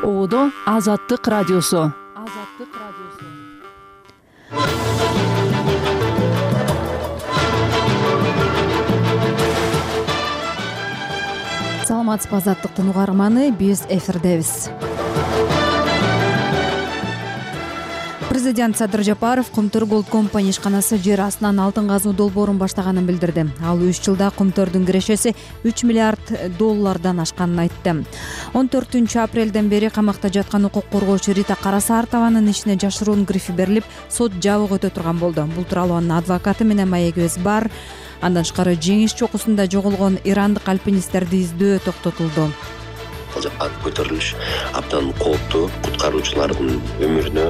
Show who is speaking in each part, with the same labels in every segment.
Speaker 1: Оодо Азаттык радиосу.
Speaker 2: Саламатсызбы Азаттыктын угарманы, биз эфирдебиз. Президент Садыр Жапаров Кумтөр Gold Company ишканасы жер астынан алтын казуу долбоорун баштаганын билдирди. Ал 3 жылда Кумтөрдүн кирешеси $3 миллиард ашканын айтты. 14 апрелден бери камакта жаткан укук коргоочу Рита Карасартованын ишине жашыруун грифи берилип, сот жабык өтө турган болду. Бул тууралуу анын адвокаты менен маегибиз бар. Андан тышкары жеңиш чокусунда жоголгон ирандык альпинисттерди издөө токтотулду.
Speaker 3: Ал жакка көтөрүлүш абдан кооптуу, куткаруучулардын өмүрүнө.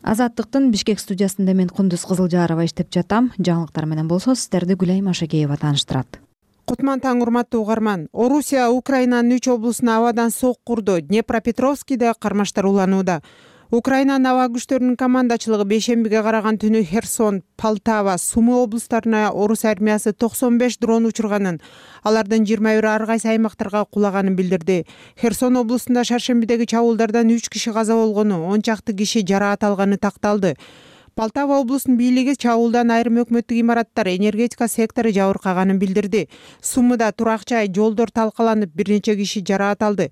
Speaker 2: Азаттыктын Бишкек студиясында мен Кундуз Кызылжарова иштеп жатам. Жаңылыктар менен болсо сиздерди Гүлайым Ашакеева тааныштырат.
Speaker 4: Кутман таң, урматтуу угарман. Орусия Украинанын 3 облусуна абадан сок курду. Днепропетровскийде кармаштар уланууда. Украинанын аба күчтөрүнүн командачылыгы бейшембиге караган түнү Херсон, Полтава, Сумы облустарына орус армиясы 95 дрон учурганын, алардын 21 ар кайсы аймактарга кулаганын билдирди. Херсон облусунда шаршембидеги чабуулдардан 3 киши каза болгону, 10 чакты киши жараат алганы такталды. Полтава облусунун бийлиги чабуулдан айрым өкмөттүк имараттар, энергетика сектору жабыркаганын билдирди. Сумыда турак жай, жолдор талкаланып, бир нече киши жараат алды.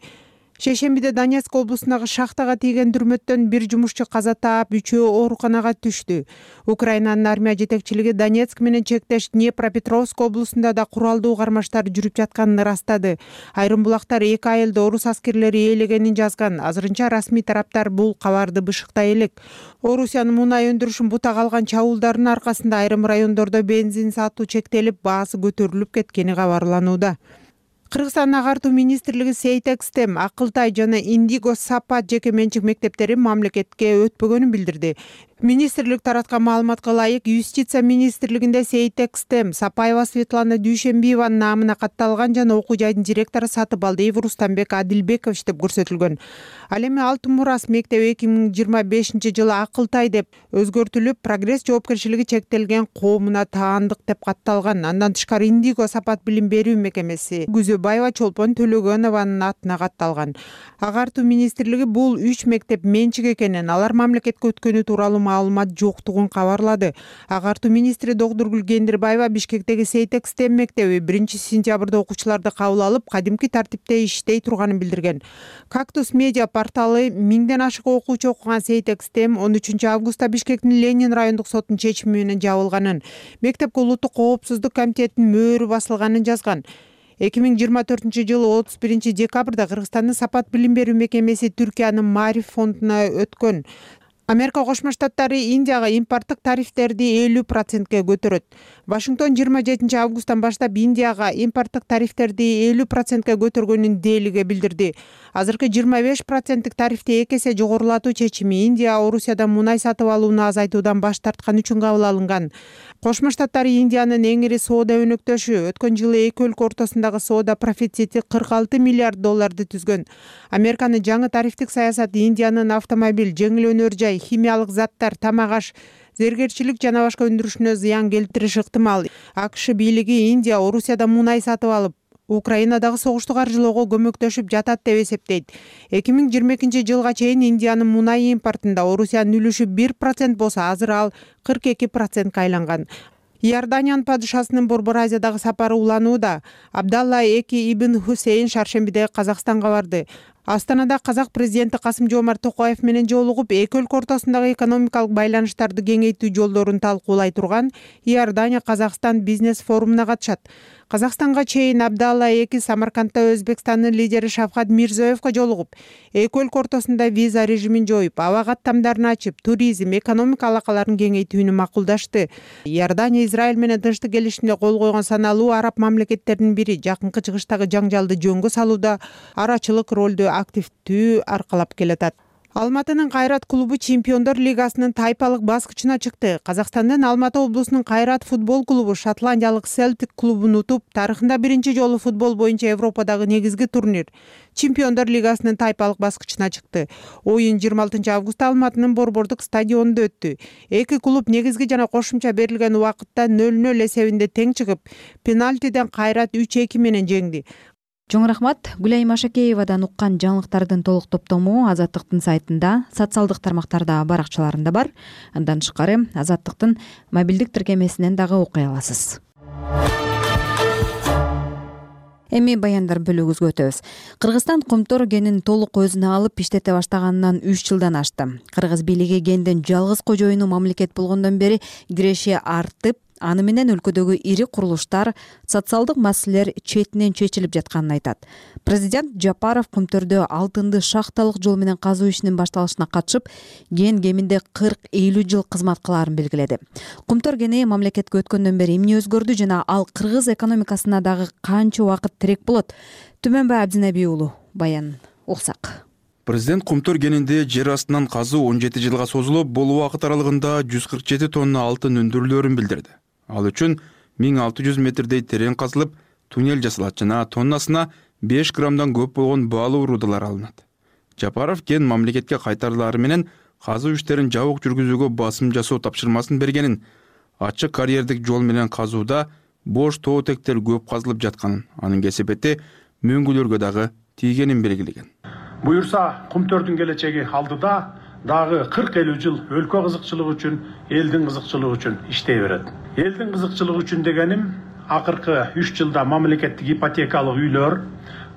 Speaker 4: Шейшембиде Донецк облусундагы шахтага тийген дүрмөттөн бир жумушчу каза таап, 3-өө ооруканага түштү. Украинанын армия жетекчилиги Донецк менен чектеш Днепропетровск облусунда да куралдуу кармаштар жүрүп жатканын ырастады. Айрым булактар 2 айылды орус аскерлери ээлегенин жазган. Азырынча расмий тараптар бул кабарды бышыктай элек. Орусиянын мунай өндүрүшүн бутак алган чабуулдарынын аркасында айрым райондордо бензин сатуу чектелип, баасы көтөрүлүп кеткени кабарланууда. Кыргызстан агартуу министрлиги Сейтекстем, Акылтай жана Индиго Сапат жеке менчик мектептери мамлекетке өтпөгөнүн билдирди. Министрлик тараткан маалыматка ылайык, Юстиция министрлигинде Сейтекстем Сапаева Светлана Дүйшенбиеванын наамына катталган жана окуу жайдын директору Сатыбалдиев Рустамбек Адилбеков деп көрсөтүлгөн. Ал эми Алтын Мурас мектеби 2025 жылы Акылтай деп өзгөртүлүп, Прогресс жоопкерчилиги чектелген коомуна таандык деп катталган. Андан тышкары Индиго Сапат билим берүү мекемеси Гүзөбаева Чолпон Төлөгөнованын атына катталган. Агартуу министрлиги бул 3 мектеп менчик экенин, алар мамлекетке өткөнү тууралуу маалымат жоктугун кабарлады. Агартуу министри Догдургүл Кендирбаева Бишкектеги Сейтекстем мектеби 1-сентябрда окуучуларды кабыл алып, кадимки тартипте иштей турганын билдирген. Кактус медиа порталы 1000ден ашык окуучу окуган Сейтекстем 13 августта Бишкектин Ленин райондук сотунун чечими менен жабылганын, мектепке улуттук коопсуздук комитетинин мөөрү басылганын жазган. 2024 жылы 31 декабрда Кыргызстандын Сапат билим берүү мекемеси Түркиянын Мариф фондуна өткөн. Америка Кошмо Штаттары Индияга импорттук тарифтерди 50%ке көтөрөт. Вашингтон 27 августтан баштап Индияга импорттук тарифтерди 50%ке көтөргөнүн Делиге билдирди. Азыркы 25%тик тарифти 2 эсе жогорулатуу чечими Индия Орусиядан мунай сатып алууну азайтуудан баш тарткан үчүн кабыл алынган. Кошмо Штаттар Индиянын эң ири соода өнөктөшү. Өткөн жылы эки өлкө ортосундагы соода профицити $46 миллиард түзгөн. Американын жаңы тарифтик саясаты Индиянын автомобиль, жеңил өнөр жай, химиялык заттар, тамак аш, зергерчилик жана башка өндүрүшүнө зыян келтириши ыктымал. АКШ бийлиги Индия Орусиядан мунай сатып алып, Украинадагы согушту каржылоого көмөктөшүп жатат деп эсептейт. 2022 жылга чейин Индиянын мунай импортунда Орусиянын үлүшү 1% болсо, азыр ал 42%ка айланган. Иорданиянын падышасынын Борбор Азиядагы сапары уланууда. Абдалла II ибн Хусейн шаршембиде Казакстанга барды. Астанада казак президенти Касым-Жомарт Токаев менен жолугуп, эки өлкө ортосундагы экономикалык байланыштарды кеңейтүү жолдорун талкуулай турган Иордания Казакстан бизнес форумуна катышат. Казакстанга чейин Абдалла II Самаркандда Өзбекстандын лидери Шавкат Мирзиёевго жолугуп, эки өлкө ортосунда виза режимин жоюп, аба каттамдарын ачып, туризм, экономика алакаларын кеңейтүүнү макулдашты. Иордания Израиль менен тынчтык келишимине кол койгон саналуу араб мамлекеттеринин бири, жакынкы чыгыштагы жаңжалды жөнгө салууда арачылык ролду активдүү аркалап келатат. Алматынын Кайрат клубу Чемпиондор лигасынын тайпалык баскычына чыкты. Казакстандын Алматы облусунун Кайрат футбол клубу шотландиялык Селтик клубун утуп, тарыхында биринчи жолу футбол боюнча Европадагы негизги турнир Чемпиондор лигасынын тайпалык баскычына чыкты. Оюн 26 августта Алматынын Борбордук стадионунда өттү. Эки клуб негизги жана кошумча берилген убакытта 0-0 эсебинде тең чыгып, пенальтиден Кайрат 3-2 менен жеңди.
Speaker 2: Чоң рахмат. Гүлайым Ашакеевадан уккан жаңылыктардын толук топтому Азаттыктын сайтында, социалдык тармактарда, баракчаларында бар. Андан тышкары Азаттыктын мобилдик тиркемесинен дагы окуй аласыз. Эми баяндар бөлүгүбүзгө өтөбүз. Кыргызстан Кумтөр кенин толук өзүнө алып иштете баштаганынан 3 жылдан ашты. Кыргыз бийлиги кендин жалгыз кожоюну мамлекет болгондон бери киреше артып, аны менен өлкөдөгү ири курулуштар, социалдык маселелер четинен чечилип жатканын айтат. Президент Жапаров Кумтөрдө алтынды шахталык жол менен казуу ишинин башталышына катышып, кен кеминде 40-50 жыл кызмат кылаарын белгиледи. Кумтөр кени мамлекетке өткөндөн бери эмне өзгөрдү жана ал кыргыз экономикасына дагы канча убакыт тирек болот? Түмөнбай Абдинеби уулу баян уксак.
Speaker 5: Президент Кумтөр кенинде жер астынан казуу 17 жылга созулуп, бул убакыт аралыгында 147 тонна алтын өндүрүлөөрүн билдирди. Ал үчүн 1600 метрдей терең казылып, туннель жасалат жана тоннасына 5 граммдан көп болгон баалуу рудалар алынат. Жапаров кен мамлекетке кайтарылары менен казуу иштерин жабык жүргүзүүгө басым жасоо тапшырмасын бергенин, ачык карьердик жол менен казууда бош тоотектер көп казылып жатканын, анын кесепети мөңгүлөргө дагы тийгенин белгилеген.
Speaker 6: Буюрса, Кумтөрдүн келечеги алдыда дагы 40-50 жыл өлкө кызыкчылыгы үчүн, элдин кызыкчылыгы үчүн иштей берет. Элдин кызыкчылыгы үчүн дегеним, акыркы 3 жылда мамлекеттик ипотекалык үйлөр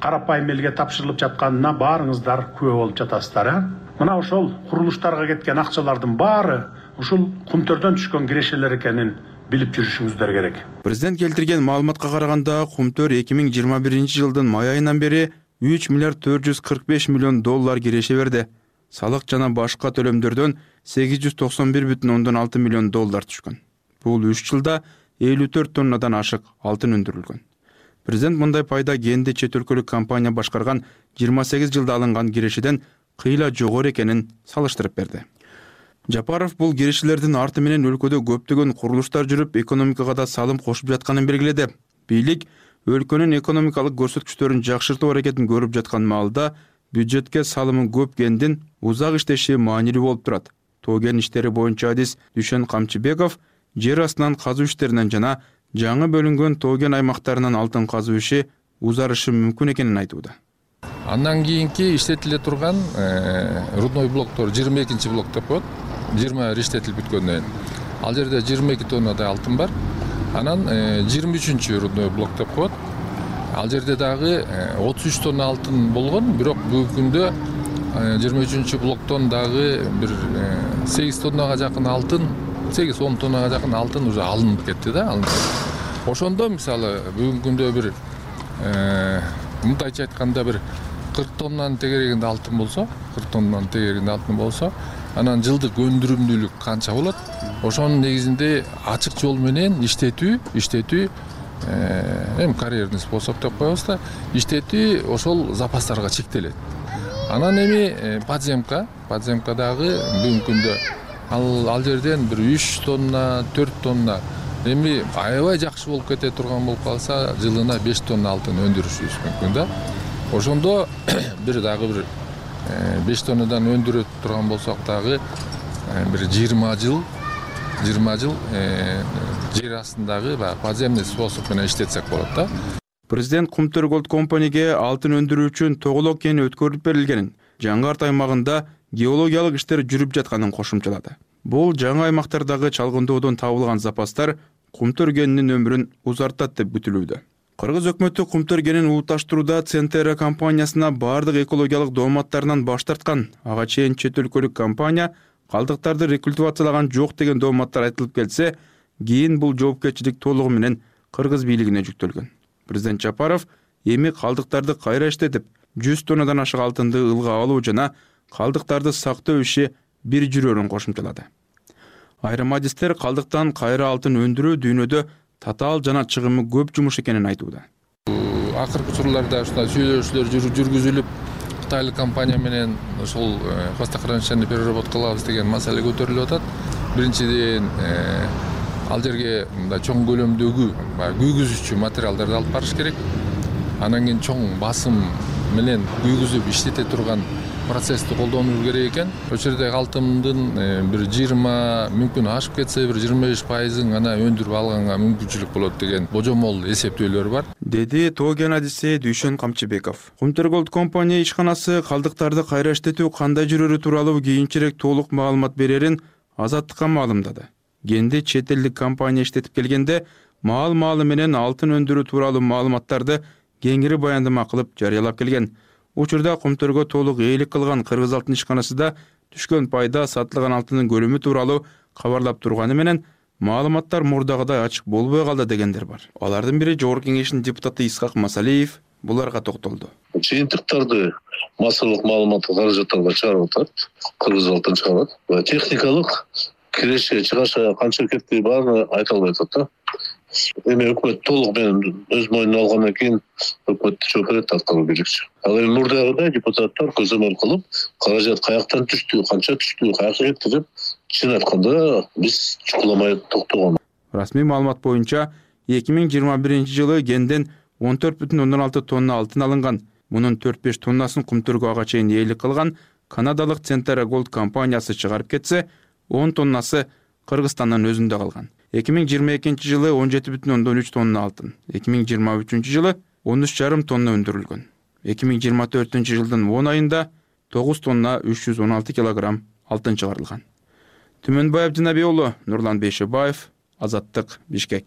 Speaker 6: карапайым элге тапшырылып жатканына баарыңыздар күбө болуп жатасыздар. Мына ошол курулуштарга кеткен акчалардын баары ушул Кумтөрдөн түшкөн кирешелер экенин билип жүрүшүңүздөр керек.
Speaker 5: Президент келтирген маалыматка караганда, Кумтөр 2021 жылдын май айынан бери 3 миллиард 445 миллион доллар киреше берди. Салык жана башка төлөмдөрдөн 891,6 миллион доллар түшкөн. Бул 3 жылда 54 тоннадан ашык алтын өндүрүлгөн. Президент мындай пайда кенди чет өлкөлүк компания башкарган 28 жылда алынган кирешеден кыйла жогору экенин салыштырып берди. Жапаров бул кирешелердин арты менен өлкөдө көптөгөн курулуштар жүрүп, экономикага да салым кошуп жатканын белгиледи. Бийлик өлкөнүн экономикалык көрсөткүчтөрүн жакшыртуу аракетин көрүп жаткан маалда бюджетке салымы көп кендин узак иштеши маанилүү болуп турат. Тоо кен иштери боюнча адис Дүшен Камчыбеков жер астынан казуу иштеринен жана жаңы бөлүнгөн тоо кен аймактарынан алтын казуу иши узарышы мүмкүн экенин айтууда.
Speaker 7: Андан кийинки иштетиле турган рудной блоктор 22 блок деп коет. 20 иштетилип бүткөндөн кийин ал жерде 22 тоннадай алтын бар. Анан 23 рудной блок деп коет. Ал жерде дагы 33 тонна алтын болгон, бирок бүгүнкү күндө 23 блоктон дагы бир 8 тоннага жакын алтын, 8-10 тоннага жакын алтын уже алынып кетти да. Ошондо мисалы бүгүнкү күндө бир мындайча айтканда бир 40 тоннанын тегерегинде алтын болсо, анан жылдык өндүрүмдүүлүк канча болот? Ошонун негизинде ачык жол менен иштетүү эми карьерный способ деп коебуз да, иштетүү ошол запастарга чектелет. Анан эми подземка дагы бүгүнкү күндө ал жерден бир 3 тонна, 4 тонна эми аябай жакшы болуп кете турган болуп калса, жылына 5 тонна алтын өндүрүшүбүз мүмкүн да. Ошондо бир 5 тоннадан өндүрө турган болсок дагы бир 20 жыл жер астындагы подземный способ менен иштетсек болот да.
Speaker 5: Президент Кумтөр Gold Company'ге алтын өндүрүү үчүн Тоголок кени өткөрүлүп берилгенин, жаңы арт аймагында геологиялык иштер жүрүп жатканын кошумчалады. Бул жаңы аймактардагы чалгындоодон табылган запастар Кумтөр кенинин өмүрүн узартат деп күтүлүүдө. Кыргыз өкмөтү Кумтөр кенин улутташтырууда Центера компаниясына бардык экологиялык дооматтарынан баш тарткан. Ага чейин чет өлкөлүк компания калдыктарды рекультивациялаган жок деген дооматтар айтылып келсе, кийин бул жоопкерчилик толугу менен кыргыз бийлигине жүктөлгөн. Президент Жапаров эми калдыктарды кайра иштетип, 100 тоннадан ашык алтынды ылга алуу жана калдыктарды сактоо иши бир жүрөрүн кошумчалады. Айрым адистер калдыктан кайра алтын өндүрүү дүйнөдө татаал жана чыгымы көп жумуш экенин айтууда.
Speaker 7: Акыркы учурларда ушундай сүйлөшүүлөр жүргүзүлүп, кытайлык компания менен ошол хвостохранилищени переработка кылабыз деген маселе көтөрүлүп атат. Биринчиден ал жерге мындай чоң көлөмдөгү күйгүзүүчү материалдарды алып барыш керек. Анан кийин чоң басым менен күйгүзүп иштете турган процессти колдонуу керек экен. Ошол жерде алтымдын бир 20 мүмкүн ашып кетсе бир 25% гана өндүрүп алганга мүмкүнчүлүк болот деген божомол эсептөөлөр бар,
Speaker 5: деди тоо кен адиси Дүйшөн Камчыбеков. Кумтөр Gold Company ишканасы калдыктарды кайра иштетүү кандай жүрөрү тууралуу кийинчерээк толук маалымат берерин Азаттыкка маалымдады. Кенди чет элдик компания иштетип келгенде маал-маалы менен алтын өндүрүү тууралуу маалыматтарды кеңири баяндама кылып жарыялап келген. Учурда Кумтөргө толук ээлик кылган Кыргыз алтын ишканасында түшкөн пайда сатылган алтындын көлөмү тууралуу кабарлап турганы менен маалыматтар мурдагыдай ачык болбой калды дегендер бар. Алардын бири Жогорку Кеңештин депутаты Исхак Масалиев буларга токтолду.
Speaker 8: Жыйынтыктарды массалык маалыматтык каражаттарга чыгарып атат, Кыргыз алтын чыгарат. Техникалык киреше чыгаша канча кетти баарын айта албай атат да. Эми өкмөт толук менен өз мойнуна алгандан кийин өкмөт жооп берет аткаруу керекчи. Ал эми мурдагыдай депутаттар көзөмөл кылып, каражат каяктан түштү, канча түштү, каяка кетти деп чын айтканда биз чукуламай токтогон.
Speaker 5: Расмий маалымат боюнча 2021-жылы кенден 14,6 тонна алтын алынган. Мунун 4-5 тоннасын Кумтөргө ага чейин ээлик кылган канадалык Centara Gold компаниясы чыгарып кетсе, 10 тоннасы Кыргызстандын өзүндө калган. 2022-жылы 17,3 тонна алтын, 2023-жылы 13,5 тонна өндүрүлгөн. 2024-жылдын 10 айында 9 тонна 316 килограмм алтын чыгарылган. Түмөнбаев Динабий уулу, Нурлан Бейшебаев, Азаттык, Бишкек.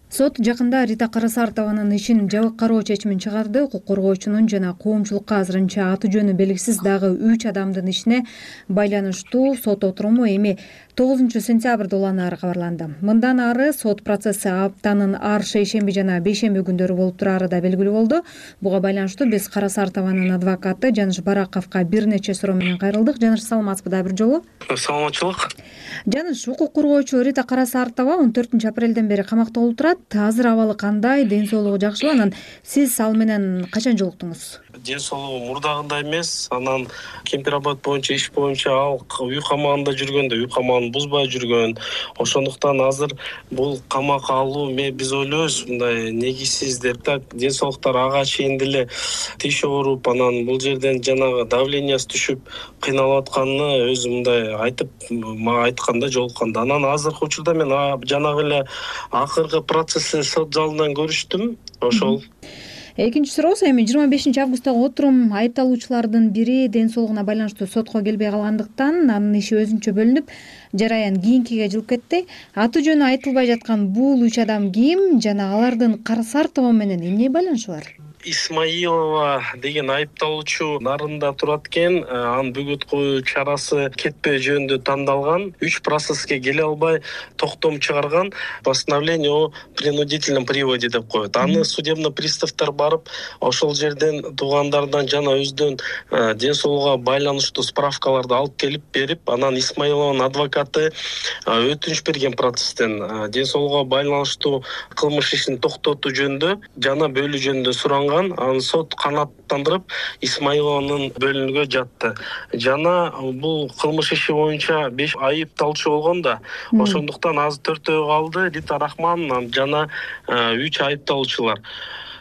Speaker 2: Сот жакында Рита Карасартованын ишин жабык кароо чечимин чыгарды. Укук коргоочунун жана коомчулукка азырынча аты жөнү белгисиз дагы 3 адамдын ишине байланыштуу сот отуруму эми 9-сентябрда уланары кабарланды. Мындан ары сот процесси аптанын ар шейшемби жана бейшемби күндөрү болуп турары да белгилүү болду. Буга байланыштуу биз Карасартованын адвокаты Жаныш Бараковго бир нече суроо менен кайрылдык. Жаныш, саламатсызбы да бир жолу?
Speaker 9: Саламатчылык.
Speaker 2: Жаныш, укук коргоочу Рита Карасартова 14-апрелден бери камакта болуп турат. Азыр абалы кандай, ден соолугу жакшыбы? Анан сиз ал менен качан жолуктуңуз?
Speaker 9: Ден соолугу мурдагындай эмес. Анан кемпирабад боюнча иш боюнча ал үй камагында жүргөндө үй камагын бузбай жүргөн. Ошондуктан азыр бул камакка алуу биз ойлойбуз мындай негизсиз деп да, ден соолуктар ага чейин деле тиш ооруп, анан бул жерден жанагы давлениясы түшүп кыйналып атканын өзү мындай айтып мага айтканда жолукканда. Анан азыркы учурда мен жанагы эле акыркы процессти сот залынан көрүштүм. Ошол.
Speaker 2: Экинчи суроосу, эми 25-августтагы отурум айыпталуучулардын бири ден соолугуна байланыштуу сотко келбей калгандыктан анын иши өзүнчө бөлүнүп, жараян кийинкиге жылып кетти. Аты жөнү айтылбай жаткан бул 3 адам ким жана алардын Карасартова менен эмне байланышы бар?
Speaker 9: Исмаилова деген айыпталуучу Нарында турат экен. Анын бөгөт коюу чарасы кетпөө жөнүндө тандалган. 3 процесске келе албай токтом чыгарган. Постановление о принудительном приводе деп коет. Аны судебный приставтар барып, ошол жерден туугандардан жана өздөн ден соолугуга байланыштуу справкаларды алып келип берип, анан Исмаилованын адвокаты өтүнүч берген процесстен ден соолугуга байланыштуу кылмыш ишин токтотуу жөнүндө жана бөлүү жөнүндө суранган. Анын сот канааттандырып Исмаилованын бөлүнүүгө жатты. Жана бул кылмыш иши боюнча 5 айыпталуучу болгон да. Ошондуктан азыр 4-өө калды. Рита Рахман жана 3 айыпталуучулар.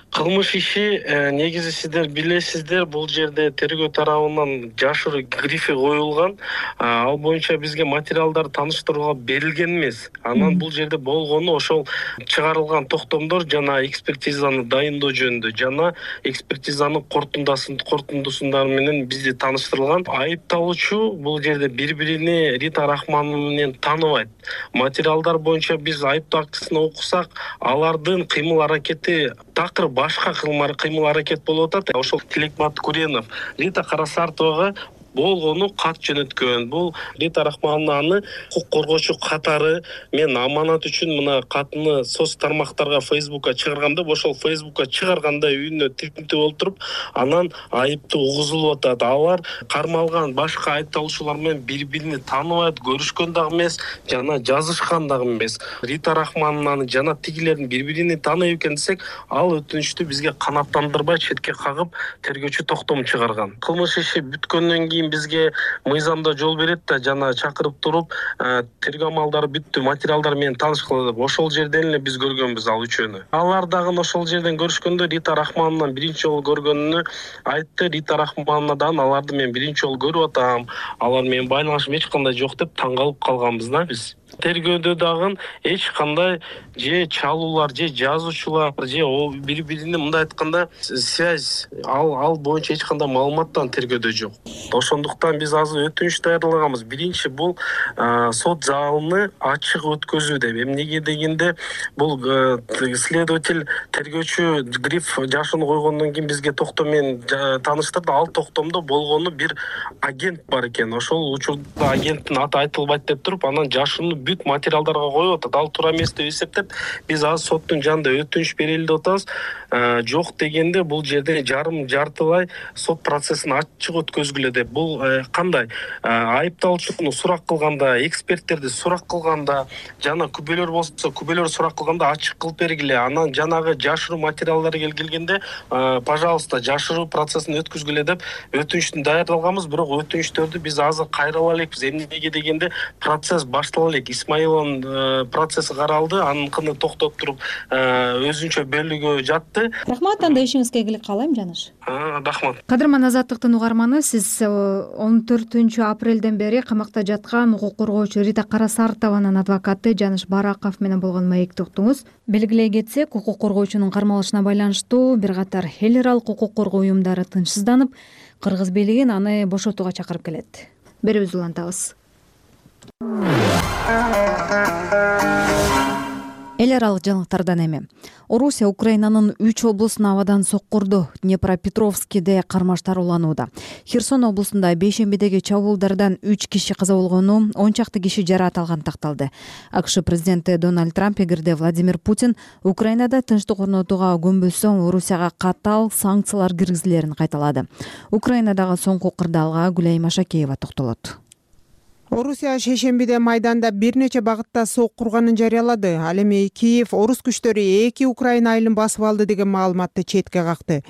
Speaker 9: Кылмыш иши негизи сиздер билесиздер, бул жерде тергөө тарабынан жашыруу грифи коюлган. Ал боюнча бизге материалдар тааныштырууга берилген эмес. Анан бул жерде болгону ошол чыгарылган токтомдор жана экспертизаны дайындоо жөнүндө жана экспертизанын корутундусундары менен бизди тааныштырылган. Айыпталуучу бул жерде бири-бирини Рита Рахман менен тааныбайт. Материалдар боюнча биз айыптоо актысын окусак, алардын кыймыл-аракети такыр башка кыймыл-аракет болуп атат. Ошол Тилекмат Куренов Рита Карасартовага болгону кат жөнөткөн. Бул Рита Рахманованы укук коргоочу катары мен аманат үчүн мына катыны соц тармактарга Facebookка чыгаргам деп, ошол Facebookка чыгарганда үйүнө тиркинтип болуп туруп, анан айыптуу угузулуп атат. Алар кармалган башка айыпталуучулар менен бири-бирини тааныбайт, көрүшкөн дагы эмес, жана жазышкан дагы эмес. Рита Рахманованы жана тигилердин бири-бирини тааныйт экен десек, ал өтүнүчтү бизге канааттандырбай четке кагып, тергөөчү токтом чыгарган. Кылмыш иши бүткөндөн кийин кийин бизге мыйзамда жол берет да, жана чакырып туруп тергөө амалдары бүттү, материалдар менен таанышкыла деп. Ошол жерден эле биз көргөнбүз ал үчөөнү. Алар дагы ошол жерден көрүшкөндө Рита Рахмановнан биринчи жолу көргөнүнү айтты. Рита Рахмановнадан аларды мен биринчи жолу көрүп атам, алар менен байланышым эч кандай жок деп таң калып калганбыз да биз. Тергөөдө дагы эч кандай же чалуулар, же жазуучулар, же бири-бирине мындай айтканда связь ал боюнча эч кандай маалыматтан тергөөдө жок. Ошондуктан биз азыр өтүнүч даярлаганбыз. Биринчи бул сот залыны ачык өткөзүү деп. Эмнеге дегенде бул следователь тергөөчү гриф жашын койгондон кийин бизге токтом менен тааныштырды. Ал токтомдо болгону бир агент бар экен. Ошол учурда агенттин аты айтылбайт деп туруп, анан жашын бүт материалдарга коюп атат. Ал туура эмес деп эсептеп, биз азыр соттун жанында өтүнүч берели деп атабыз. Жок дегенде бул жерде жартылай сот процессин ачык өткөзгүлө деп. Бул кандай? Айыпталуучуну сурак кылганда, эксперттерди сурак кылганда, жана күбөлөр болсо, күбөлөр сурак кылганда ачык кылып бергиле. Анан жанагы жашыруу материалдары келгенде, пожалуйста, жашыруу процессин өткөзгүлө деп өтүнүчтү даярдалганбыз. Бирок өтүнүчтөрдү биз азыр кайрала элекпиз. Эмнеге дегенде процесс баштала элек. Исмаиловдун процесси каралды, аныкын токтоп туруп өзүнчө бөлүгү жатты.
Speaker 2: Рахмат, анда ишиңизге ийгилик каалайм, Жаныш.
Speaker 9: Рахмат.
Speaker 2: Кадырман Азаттыктын угарманы, сиз 14 апрелден бери камакта жаткан укук коргоочу Рита Карасартованын адвокаты Жаныш Бараков менен болгон маекти уктуңуз. Белгилей кетсек, укук коргоочунун кармалышына байланыштуу бир катар эл аралык укук коргоо уюмдары тынчсызданып, кыргыз бийлигин аны бошотууга чакырып келет. Берүүбүздү улантабыз. Эл аралык жаңылыктардан эми. Орусия Украинанын 3 облусун абадан соккурду. Днепропетровскиде кармаштар уланууда. Херсон облусунда бейшембидеги чабуулдардан 3 киши каза болгону, 10 чакты киши жараат алганы такталды. АКШ президенти Дональд Трамп эгерде Владимир Путин Украинада тынчтык орнотууга көнбөсө, Орусияга катаал санкциялар киргизилерин кайталады. Украинадагы соңку кырдаалга Гүлай Машакеева токтолот.
Speaker 4: Орусия шейшембиде майданда бир нече багытта соккурганын жарыялады. Ал эми Киев орус күчтөрү 2 Украина айылын басып алды деген маалыматты четке какты.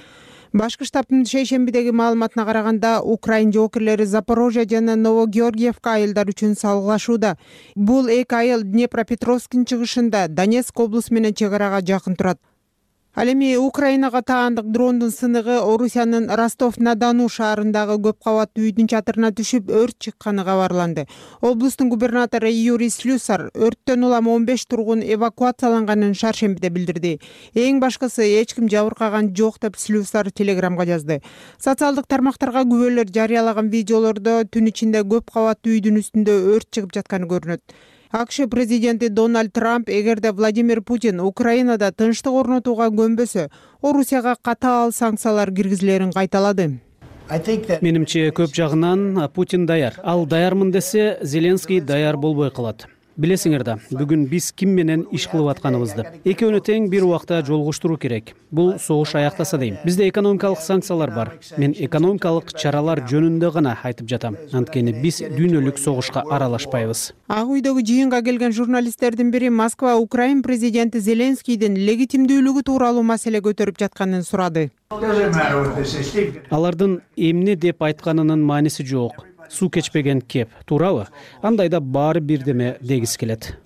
Speaker 4: Башкы штабтын шейшембидеги маалыматына караганда, Украин жоокерлери Запорожье жана Новогеоргиевка айылдар үчүн салгылашууда. Бул 2 айыл Днепропетровскдин чыгышында, Донецк облусу менен чек арага жакын турат. Ал эми Украинага таандык дрондун сыныгы Орусиянын Ростов-на-Дону шаарындагы көп кабаттуу үйдүн чатырына түшүп, өрт чыкканы кабарланды. Облустун губернатору Юрий Слюсар өрттөн улам 15 тургун эвакуацияланганын шаршембиде билдирди. Эң башкысы, эч ким жабыркаган жок деп Слюсар телеграмга жазды. Социалдык тармактарга күбөлөр жарыялаган видеолордо түн ичинде көп кабаттуу үйдүн үстүндө өрт чыгып жатканы көрүнөт. АКШ президенти Дональд Трамп эгерде Владимир Путин Украинада тынчтык орнотууга көнбөсө, Орусияга катаал санкциялар киргизилерин кайталады.
Speaker 10: Менимче көп жагынан Путин даяр. Ал даярмын десе, Зеленский даяр болбой калат. Билесиңер да, бүгүн биз ким менен иш кылып атканыбызды. Экөөнү тең бир убакта жолугуштуруу керек. Бул согуш аяктаса дейм. Бизде экономикалык санкциялар бар. Мен экономикалык чаралар жөнүндө гана айтып жатам. Анткени биз дүйнөлүк согушка аралашпайбыз.
Speaker 4: Ак үйдөгү жыйынга келген журналисттердин бири Москва Украин президенти Зеленскийдин легитимдүүлүгү тууралуу маселе көтөрүп жатканын сурады.
Speaker 10: Алардын эмне деп айтканынын мааниси жок. Суу кечпеген кеп, туурабы? Андайда баары бирдеме дегиси келет.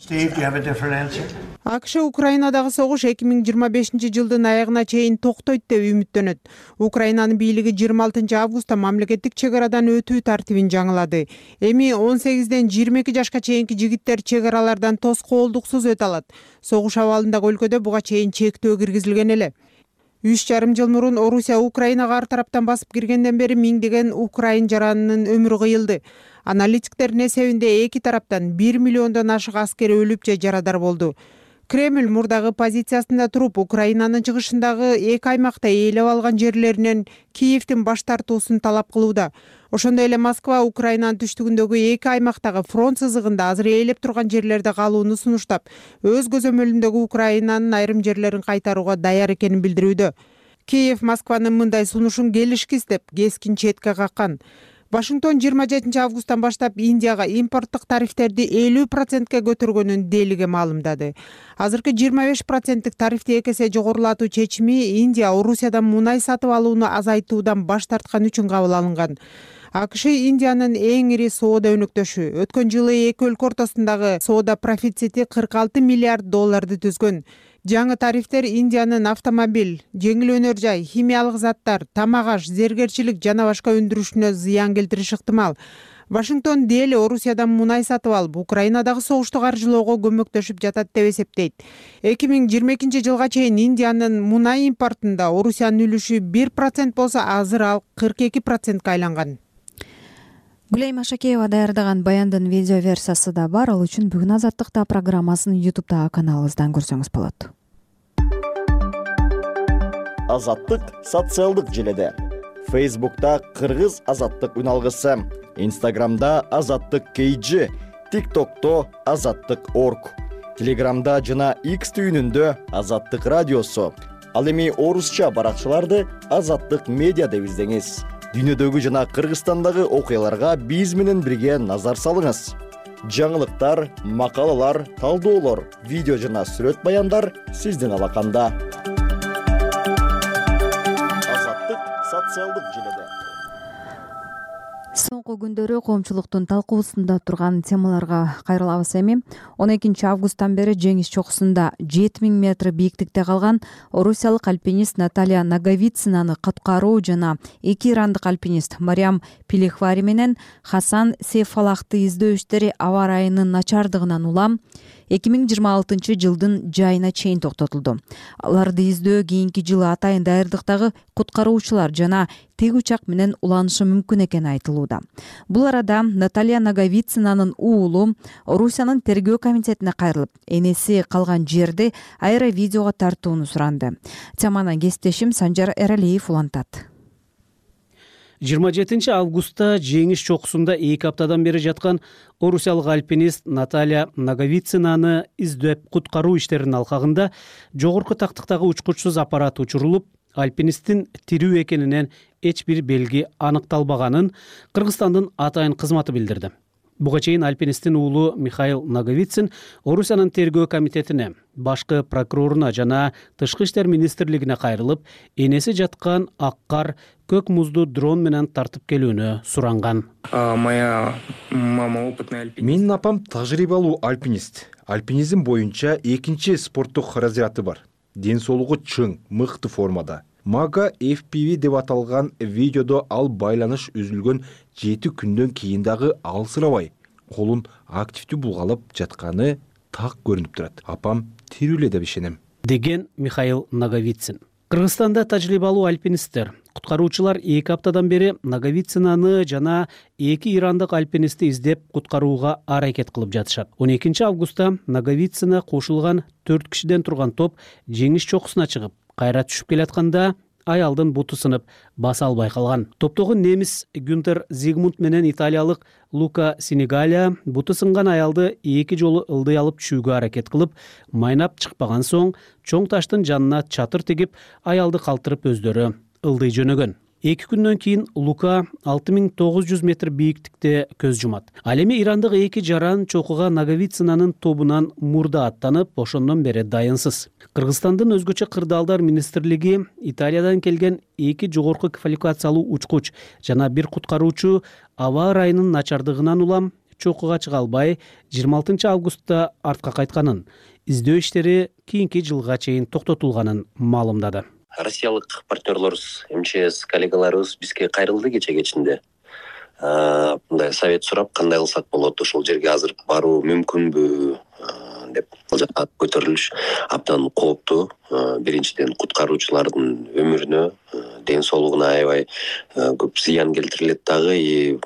Speaker 4: АКШ Украинадагы согуш 2025-жылдын аягына чейин токтойт деп үмүттөнөт. Украинанын бийлиги 26 августта мамлекеттик чек арадан өтүү тартибин жаңылады. Эми 18ден 22 жашка чейинки жигиттер чек аралардан тоскоолдуксуз өтө алат. Согуш абалындагы өлкөдө буга чейин чектөө киргизилген эле. 3,5 жыл мурун Орусия Украинага ар тараптан басып киргенден бери миңдеген украин жаранынын өмүрү кыйылды. Аналитиктердин эсебинде эки тараптан 1 миллиондон ашык аскер өлүп же жарадар болду. Кремль мурдагы позициясында туруп, Украинанын чыгышындагы эки аймакта ээлеп алган жерлеринен Киевдин баш тартуусун талап кылууда. Ошондой эле Москва Украинанын түштүгүндөгү эки аймактагы фронт сызыгында азыр ээлеп турган жерлерде калууну сунуштап, өз көзөмөлүндөгү Украинанын айрым жерлерин кайтарууга даяр экенин билдирүүдө. Киев Москванын мындай сунушун келишкис деп кескин четке каккан. Вашингтон 27 августтан баштап Индияга импорттук тарифтерди 50%ке көтөргөнүн делиге маалымдады. Азыркы 25%тик тарифти 2 эсе жогорулатуу чечими Индия Орусиядан мунай сатып алууну азайтуудан баш тарткан үчүн кабыл алынган. АКШ Индиянын эң ири соода өнөктөшү. Өткөн жылы эки өлкө ортосундагы соода профицити 46 миллиард долларды түзгөн. Жаңы тарифтер Индиянын автомобиль, жеңил өнөр жай, химиялык заттар, тамак аш, зергерчилик жана башка өндүрүшүнө зыян келтириши ыктымал. Вашингтон дээли Орусиядан мунай сатып алып, Украинадагы согушту каржылоого көмөктөшүп жатат деп эсептейт. 2022 жылга чейин Индиянын мунай импортунда Орусиянын үлүшү 1% болсо, азыр ал 42%ка айланган.
Speaker 2: Гүлайым Ашакеева даярдаган баяндын видео версиясы да бар. Ал үчүн бүгүн Азаттыкта программасын YouTube'дагы каналыбыздан көрсөңүз болот.
Speaker 11: Азаттык социалдык желеде. Facebook'ta Кыргыз Азаттык үналгысы, Instagram'da Азаттык KG, TikTok'to Азаттык.org, Telegram'da жана X түйүнүндө Азаттык радиосу. Ал эми орусча баракчаларды Азаттык медиа деп издеңиз. Дүйнөдөгү жана Кыргызстандагы окуяларга биз менен бирге назар салыңыз. Жаңылыктар, макалалар, талдоолор, видео жана сүрөт баяндар сиздин алаканда. Азаттык социалдык желеде.
Speaker 2: Соңку күндөрү коомчулуктун талкуусунда турган темаларга кайрылабыз эми. 12 августтан бери жеңиш чокусунда 7000 метр бийиктикте калган орусиялык альпинист Наталья Наговицинаны куткаруу жана эки ирандык альпинист Мариам Пилихвари менен Хасан Сейфалахты издөө иштери аба ырайынын начардыгынан улам 2026 жылдын жайына чейин токтотулду. Аларды издөө кийинки жылы атайын даярдыктагы куткаруучулар жана тег учак менен уланышы мүмкүн экени айтылууда. Бул арада Наталья Наговицинанын уулу Орусиянын тергөө комитетине кайрылып, энеси калган жерди аэровидеого тартууну суранды. Теманы кесиптешим Санжар Эралиев улантат.
Speaker 10: 27 августта жеңиш чокусунда 2 аптадан бери жаткан орусиялык альпинист Наталья Наговицинаны издеп куткаруу иштеринин алкагында жогорку тактыктагы учкучсуз аппарат учурулуп, альпинисттин тирүү экенинен эч бир белги аныкталбаганын Кыргызстандын атайын кызматы билдирди. Буга чейин альпинисттин уулу Михаил Наговицин Орусиянын тергөө комитетине, башкы прокуроруна жана Тышкы иштер министрлигине кайрылып, энеси жаткан ак кар көк музду дрон менен тартып келүүнү суранган.
Speaker 12: Менин апам тажрыйбалуу альпинист. Альпинизм боюнча экинчи спорттук разряды бар. Ден соолугу чың, мыкты формада. Мага FPV деп аталган видеодо ал байланыш үзүлгөн 7 күндөн кийин дагы алсырабай колун активдүү булгалап жатканы так көрүнүп турат. Апам тирүү эле деп ишенем,
Speaker 10: деген Михаил Наговицин. Кыргызстанда тажрыйбалуу альпинисттер, куткаруучулар 2 аптадан бери Наговицинаны жана 2 ирандык альпинистти издеп куткарууга аракет кылып жатышат. 12 августта Наговицина кошулган 4 кишиден турган топ жеңиш чокусуна чыгып, кайра түшүп келатканда аялдын буту сынып, баса албай калган. Топтогу немис Гюнтер Зигмунд менен италиялык Лука Синегалия буту сынган аялды 2 жолу ылдый алып түшүүгө аракет кылып, майнап чыкпаган соң чоң таштын жанына чатыр тигип, аялды калтырып өздөрү ылдый жөнөгөн. 2 күндөн кийин Лука 6900 метр бийиктикте көз жумат. Ал эми ирандык 2 жаран чокуга Наговицинанын тобунан мурда аттанып, ошондон бери дайынсыз. Кыргызстандын өзгөчө кырдаалдар министрлиги Италиядан келген 2 жогорку квалификациялуу учкуч жана 1 куткаруучу аба ырайынын начардыгынан улам чокуга чыга албай 26 августта артка кайтканын, издөө иштери кийинки жылга чейин токтотулганын маалымдады.
Speaker 3: Россиялык партнерлорубуз, МЧС коллегаларыбыз бизге кайрылды кече кечинде. Мындай совет сурап, кандай кылсак болот, ошол жерге азыр баруу мүмкүнбү деп көтөрүлүш абдан кооптуу. Биринчиден куткаруучулардын өмүрүнө, ден соолугуна аябай көп зыян келтирилет дагы, и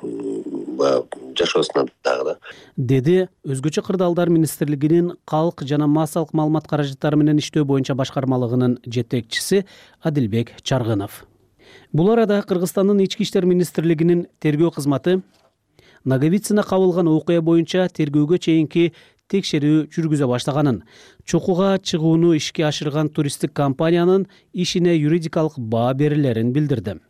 Speaker 3: жашоосуна дагы да.
Speaker 10: Деди өзгөчө кырдаалдар министрлигинин калк жана массалык маалымат каражаттары менен иштөө боюнча башкармалыгынын жетекчиси Адилбек Чаргынов. Бул арада Кыргызстандын ички иштер министрлигинин тергөө кызматы Наговицина кабылган окуя боюнча тергөөгө чейинки текшерүү жүргүзө баштаганын, чокуга чыгууну ишке ашырган туристтик компаниянын ишине юридикалык баа берилерин билдирди.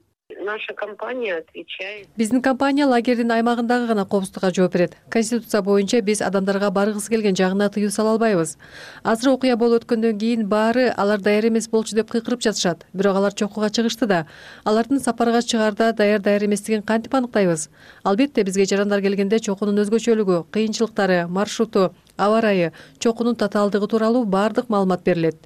Speaker 13: На наша компания отвечает.
Speaker 14: Биздин компания лагердин аймагындагы гана коопсуздукка жооп берет. Конституция боюнча биз адамдарга баргысы келген жагына тыюу сала албайбыз. Азыр окуя болуп өткөндөн кийин баары алар даяр эмес болчу деп кыйкырып жатышат. Бирок алар чокуга чыгышты да. Алардын сапарга чыгаарда даяр эместигин кантип аныктайбыз? Албетте бизге жарандар келгенде чокунун өзгөчөлүгү, кыйынчылыктары, маршруту, аба ырайы, чокунун татаалдыгы тууралуу баардык маалымат берилет,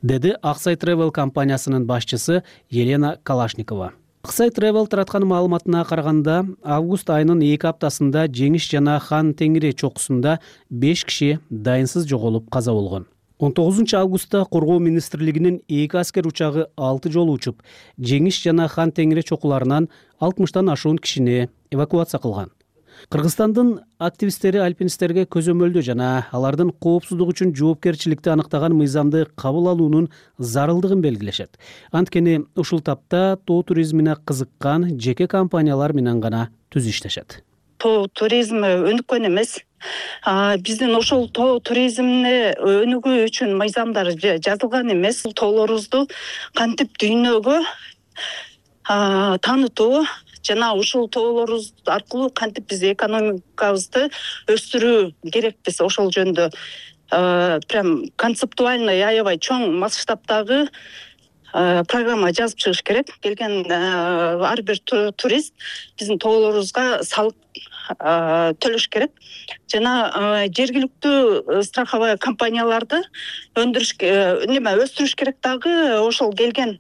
Speaker 10: деди Аксай Travel компаниясынын башчысы Елена Калашникова. Аксай Travel тараткан маалыматына караганда, август айынын 2 аптасында Жеңиш жана Хан Теңири чокусунда 5 киши дайынсыз жоголуп каза болгон. 19 августта Коргоо министрлигинин 2 аскер учагы 6 жолу учуп, Жеңиш жана Хан Теңири чокуларынан 60тан ашуун кишини эвакуация кылган. Кыргызстандын активисттери альпинисттерге көзөмөлдөө жана алардын коопсуздугу үчүн жоопкерчиликти аныктаган мыйзамды кабыл алуунун зарылдыгын белгилешет. Анткени ушул тапта тоо туризмине кызыккан жеке компаниялар менен гана түз иштешет.
Speaker 15: Тоо туризми өнүккөн эмес. Биздин ошол тоо туризмине өнүгүү үчүн мыйзамдар жазылган эмес. Тоолорубузду кантип дүйнөгө таанытуу жана ушул тоолорубуз аркылуу кантип биз экономикабызды өстүрүү керекпиз, ошол жөнүндө прям концептуальный аябай чоң масштабтагы программа жазып чыгыш керек. Келген ар бир турист биздин тоолорубузга салык төлөш керек жана жергиликтүү страховой компанияларды өстүрүш керек дагы. Ошол келген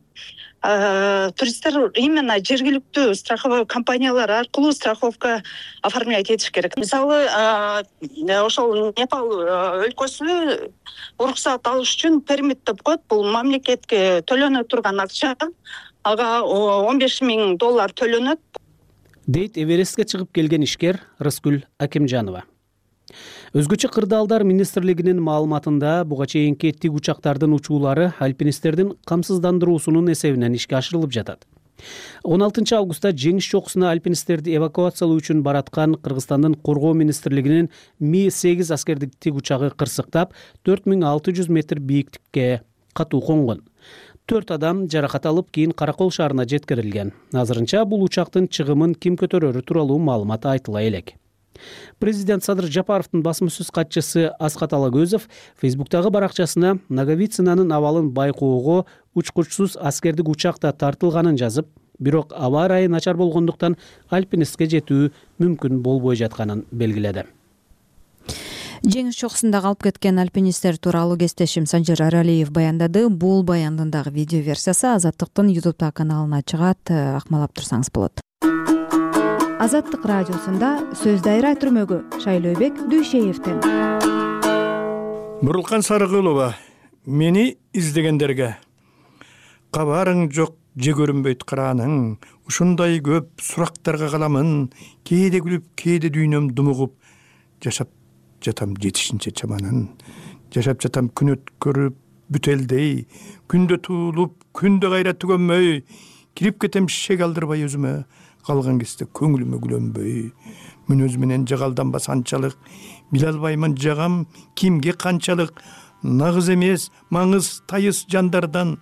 Speaker 15: туристтер именно жергиликтүү страховой компаниялар аркылуу страховка оформлять этиш керек. Мисалы, ошол Непал өлкөсү уруксат алыш үчүн пермит деп коет. Бул мамлекетке төлөнө турган акча. Ага $15,000 төлөнөт,
Speaker 10: дейт Эверестке чыгып келген ишкер Рыскүл Акимжанова. Өзгөчө кырдаалдар министрлигинин маалыматында буга чейинки тик учактардын учуулары альпинисттердин камсыздандыруусунун эсебинен ишке ашырылып жатат. 16 августта Жеңиш чокусуна альпинисттерди эвакуациялоо үчүн бараткан Кыргызстандын Коргоо министрлигинин Ми-8 аскердик тик учагы кырсыктап 4600 метр бийиктикке катуу конгон. 4 адам жаракат алып кийин Каракол шаарына жеткирилген. Азырынча бул учактын чыгымын ким көтөрөрү тууралуу маалымат айтыла элек. Президент Садыр Жапаровдун басма-сөз катчысы Аскат Алагөзов Фейсбуктагы баракчасына Наговицинанын абалын байкоого учкучсуз аскердик учакта тартылганын жазып, бирок аба ырайы начар болгондуктан альпинистке жетүү мүмкүн болбой жатканын белгиледи.
Speaker 2: Жеңиш чокусунда калып кеткен альпинисттер тууралуу кесиптешим Санжар Аралиев баяндады. Бул баяндын дагы видео версиясы Азаттыктын YouTube каналына чыгат, акмалап турсаңыз болот. Азаттык радиосунда сөз дайра түрмөгү Шайлообек Дүйшеевден.
Speaker 16: Бурулкан Сарыгулова, мени издегендерге кабарың жок, же көрүнбөйт карааның, ушундай көп сурактарга каламын, кээде күлүп, кээде дүйнөм думугуп, жашап жатам жетишинче чаманын, жашап жатам күн өткөрүп бүтелдей, күндө туулуп, күндө кайра түгөнмөй, кирип кетем шек алдырбай өзүмө, калган кезде көңүлүмө күлөнбөй, мүнөз менен жагалданбас анчалык, биле албаймын жагам кимге канчалык, нагыз эмес, маңыз тайыз жандардан,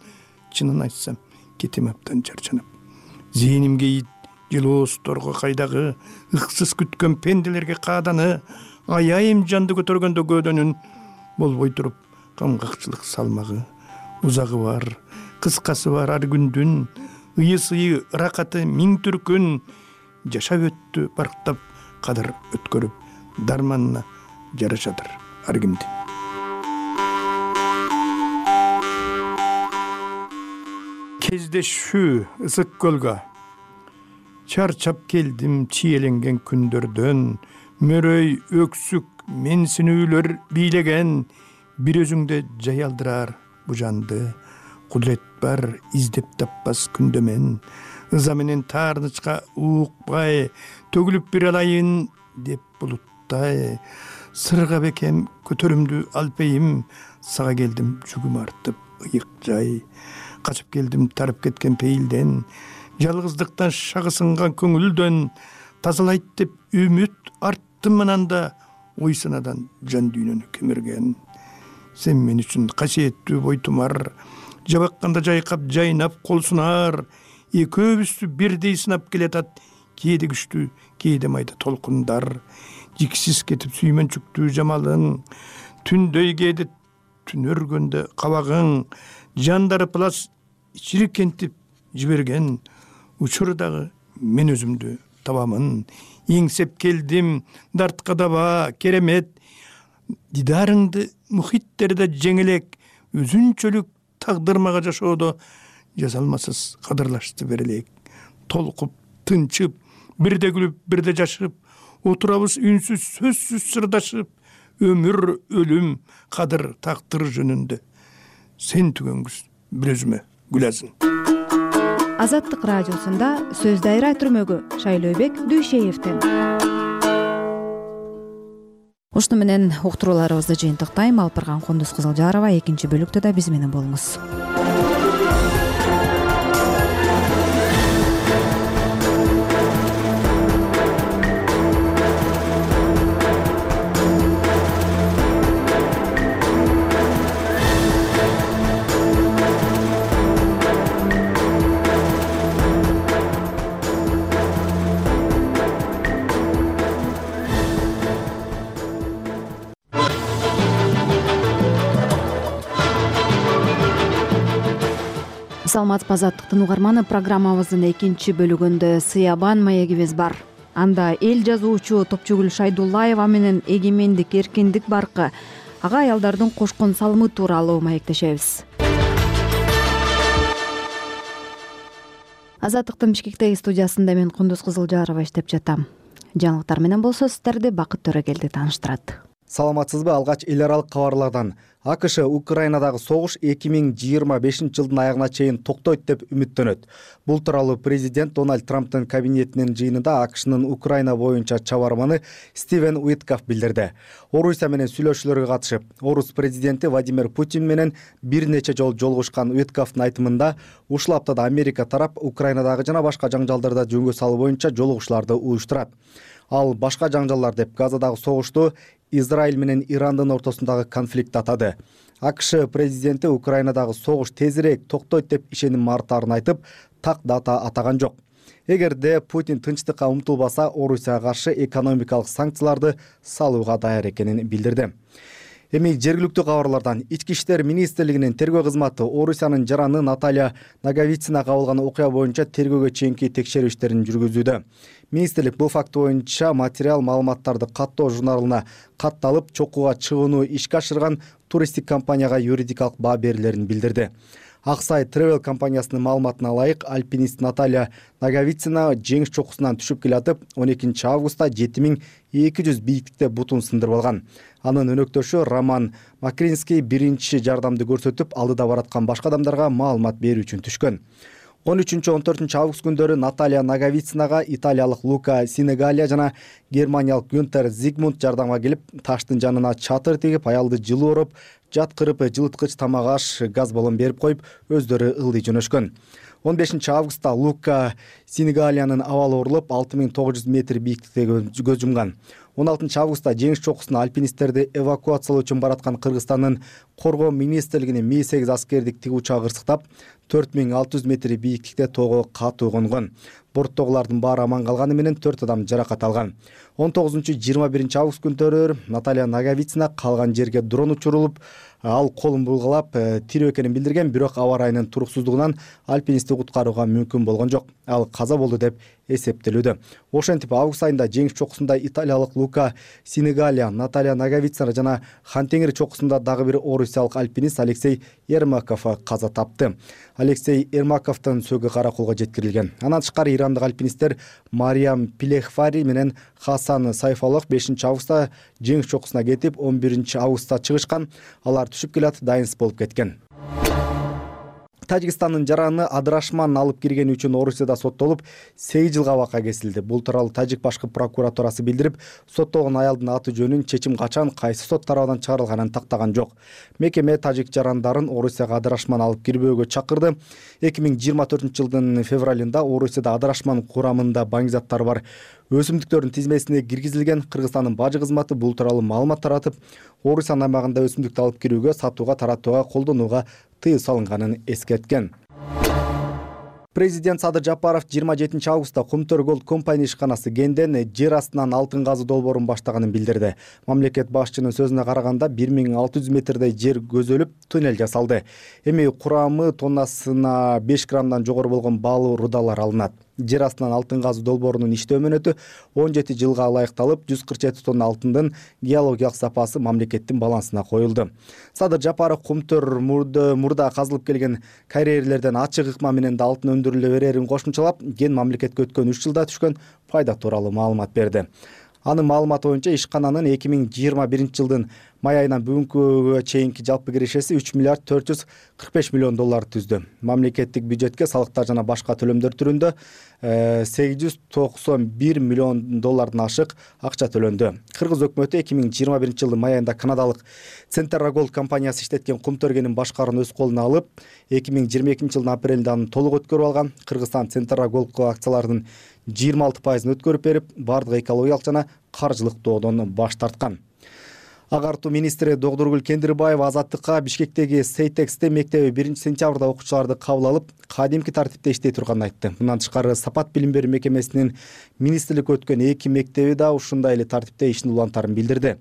Speaker 16: чынын айтсам, кетем аптан чарчанып. Зээнимге жылоосторго кайдагы, ыксыз күткөн пенделерге кааданы, аяйым жанды көтөргөндө көөдөнүн, болбой туруп, камгакчылык салмагы, узагы бар, кыскасы бар ар күндүн, ыйы-сыйы ыракаты миң түркүн, жашап өттү барктап, кадыр өткөрүп, дарманына жарашадыр ар кимди. Кездешүү ысык көлгө, чарчап келдим чиеленген күндөрдөн, мөрөй өксүк менсинүүлөр бийлеген, бир өзүңдө жай алдырар бу жанды, кудурет бар издеп таппас күндөмен, ыза менен таарнычка уукпай, төгүлүп бир алайын деп булуттай, сырга бекем көтөрүмдү алпейим, сага келдим жүгүм артып ыйык жай, качып келдим тарып кеткен пейилден, жалгыздыктан шагы сынган көңүлдөн, тазалайт деп үмүт арттым ананда, ой санадан жан дүйнөнү кемирген. Сен мен үчүн касиеттүү бойтумар, жабакканда жайкап жайнап кол сунар, экөөбүздү бирдей сынап келатат. Кээде күчтүү, кээде майда толкундар. Жиксиз кетип сүймөнчүктүү жамалың, түндөй кээде түн өргөндө кабагың, жандары плас чирикентип жиберген учурдагы мен өзүмдү табамын. Эңсеп келдим, дартка даба, керемет. Дидарыңды мухиттерде жеңелек, өзүнчөлүк тагдырмага жашоодо жазалмасыз кадырлашты берелек. Толкуп, тынчып, бирде күлүп, бирде жашып, отурабыз үнсүз, сөзсүз сырдашып, өмүр, өлүм, кадыр, тактыр жөнүндө. Сен түгөнгүз бир өзүмө гүлазын.
Speaker 2: Азаттык радиосунда сөз дайра түрмөгү Шайлообек Дүйшеевден. Ушуну менен уктурууларыбызды жыйынтыктайм. Алып барган Кундуз Кызылжарова. Экинчи бөлүктө да биз менен болуңуз. Саламатсызбы Азаттыктын угарманы, программабыздын экинчи бөлүгүндө Сыябан маегибиз бар. Анда эл жазуучу Топчугүл Шайдуллаева менен эгемендик, эркиндик баркы, ага аялдардын кошкон салымы тууралуу маектешебиз. Азаттыктын Бишкектеги студиясында мен Кундуз Кызылжарова иштеп жатам. Жаңылыктар менен болсо сиздерди Бакыт Төрөгелди тааныштырат.
Speaker 17: Саламатсызбы? Алгач эл аралык кабарлардан. АКШ Украинадагы согуш 2025 жылдын аягына чейин токтойт деп үмүттөнөт. Бул тууралуу президент Дональд Трамптын кабинетинин жыйынында АКШнын Украина боюнча чабарманы Стивен Уиткаф билдирди. Орусия менен сүйлөшүүлөргө катышып, Орус президенти Владимир Путин менен бир нече жолу жолугушкан Уиткафтын айтымында, ушул аптада Америка тарап Украинадагы жана башка жаңжалдарды жөнгө салуу боюнча жолугушууларды уюштурат. Ал башка жаңжалдар деп Газадагы согушту Израиль менен Ирандын ортосундагы конфликт атады. АКШ президенти Украинадагы согуш тезирээк токтойт деп ишеним артаарын айтып, так дата атаган жок. Эгерде Путин тынчтыкка умтулбаса, Орусияга каршы экономикалык санкцияларды салууга даяр экенин билдирди. Эми жергиликтүү кабарлардан. Ички иштер министрлигинин тергөө кызматы Орусиянын жараны Наталья Наговицина кабылган окуя боюнча тергөөгө чейинки текшерүү иштерин жүргүзүүдө. Министрлик бул факт боюнча материал маалыматтарды каттоо журналына катталып, чокууга чыгууну ишке ашырган туристтик компанияга юридикалык баа берилерин билдирди. Аксай Travel компаниясынын маалыматына ылайык, альпинист Наталья Наговицина жеңиш чокусунан түшүп келатып, 12 августта 7200 бийиктикте бутун сындырып алган. Анын өнөктөшү Роман Макринский биринчи жардамды көрсөтүп, алдыда бараткан башка адамдарга маалымат берүү үчүн түшкөн. 13-14 август күндөрү Наталья Наговицинага италиялык Лука Синегалия жана германиялык Гюнтер Зигмунд жардамга келип, таштын жанына чатыр тигип, аялды жылуу ороп, жаткырып, жылыткыч тамак аш, газ баллон берип коюп, өздөрү ылдый жөнөшкөн. 15 августта Лука Синегалиянын абалы орулуп, 6900 метр бийиктикте көз жумган. 16 августта жеңиш чокусуна альпинисттерди эвакуациялоо үчүн бараткан Кыргызстандын коргоо министрлигинин Ми-8 аскердик тиг учагы ырсыктап, 4600 метр бийиктикте тоого катуу конгон. Борттогулардын баары аман калганы менен 4 адам жаракат алган. 19-21 август күндөрү Наталья Наговицина калган жерге дрон учурулуп, ал колун булгалап, тирүү экенин билдирген, бирок аба ырайынын туруксуздугунан альпинистти куткарууга мүмкүн болгон жок. Ал каза болду деп эсептелүүдө. Ошентип август айында жеңиш чокусунда италиялык Лука Синегалия, Наталья Наговицина жана Хантеңир чокусунда дагы бир орусиялык альпинист Алексей Ермаков каза тапты. Алексей Ермаковдун сөөгү каракулга жеткирилген. Андан тышкары ирандык альпинисттер Мариям Пилехфари менен Хасан Сайфалов 5 августта жеңиш чокусуна кетип, 11 августта чыгышкан. Алар түшүп келат, дайынсыз болуп кеткен. Тажикстандын жараны адырашман алып киргени үчүн Орусияда соттолуп 8 жылга абакка кесилди. Бул тууралуу Тажик башкы прокуратурасы билдирип, соттолгон аялдын аты жөнүн, чечим качан, кайсы сот тарабынан чыгарылганын тактаган жок. Мекеме тажик жарандарын Орусияга адырашман алып кирбөөгө чакырды. 2024 жылдын февралында Орусияда адырашман курамында баңгизаттары бар өсүмдүктөрдүн тизмесине киргизилген. Кыргызстандын бажы кызматы бул тууралуу маалымат таратып, Орусиянын аймагында өсүмдүктү алып кирүүгө, сатууга, таратууга, колдонууга тыюу салынганын эскерткен. Президент Садыр Жапаров 27 августта Кумтөр Голд компания ишканасы Генден жер астынан алтын казуу долбоорун баштаганын билдирди. Мамлекет башчынын сөзүнө караганда 1600 метрдей жер көзөлүп, туннель жасалды. Эми курамы тоннасына 5 граммдан жогору болгон баалуу рудалар алынат. Жер астынан алтын казуу долбоорунун иштөө мөөнөтү 17 жылга ылайыкталып, 147 тонна алтындын геологиялык сапасы мамлекеттин балансына коюлду. Садыр Жапаров Кумтөр мурда казылып келген карьерлерден ачык ыкма менен да алтын өндүрүлө берерин кошумчалап, ген мамлекетке өткөн 3 жылда түшкөн пайда тууралуу маалымат берди. Анын маалыматы боюнча ишкананын 2021 жылдын май айынан бүгүнкүгө чейинки жалпы кирешеси 3 миллиард 445 миллион доллар түздү. Мамлекеттик бюджетке салыктар жана башка төлөмдөр түрүндө 891 миллион доллардан ашык акча төлөндү. Кыргыз өкмөтү 2021 жылдын май айында канадалык Centerra Gold компаниясы иштеткен Кумтөр кенин башкаруун өз колуна алып, 2022 жылдын апрелинде аны толук өткөрүп алган. Кыргызстан Centerra Gold акцияларынын 26% өткөрүп берип, бардык экологиялык жана каржылык доодон баш тарткан. Агартуу министри Догдургүл Кендирбаева Азаттыкка Бишкектеги Сейтексте мектеби 1 сентябрда окуучуларды кабыл алып, кадимки тартипте иштей турганын айтты. Мындан тышкары Сапат билим берүү мекемесинин министрлик өткөн 2 мектеби да ушундай эле тартипте ишин улантарын билдирди.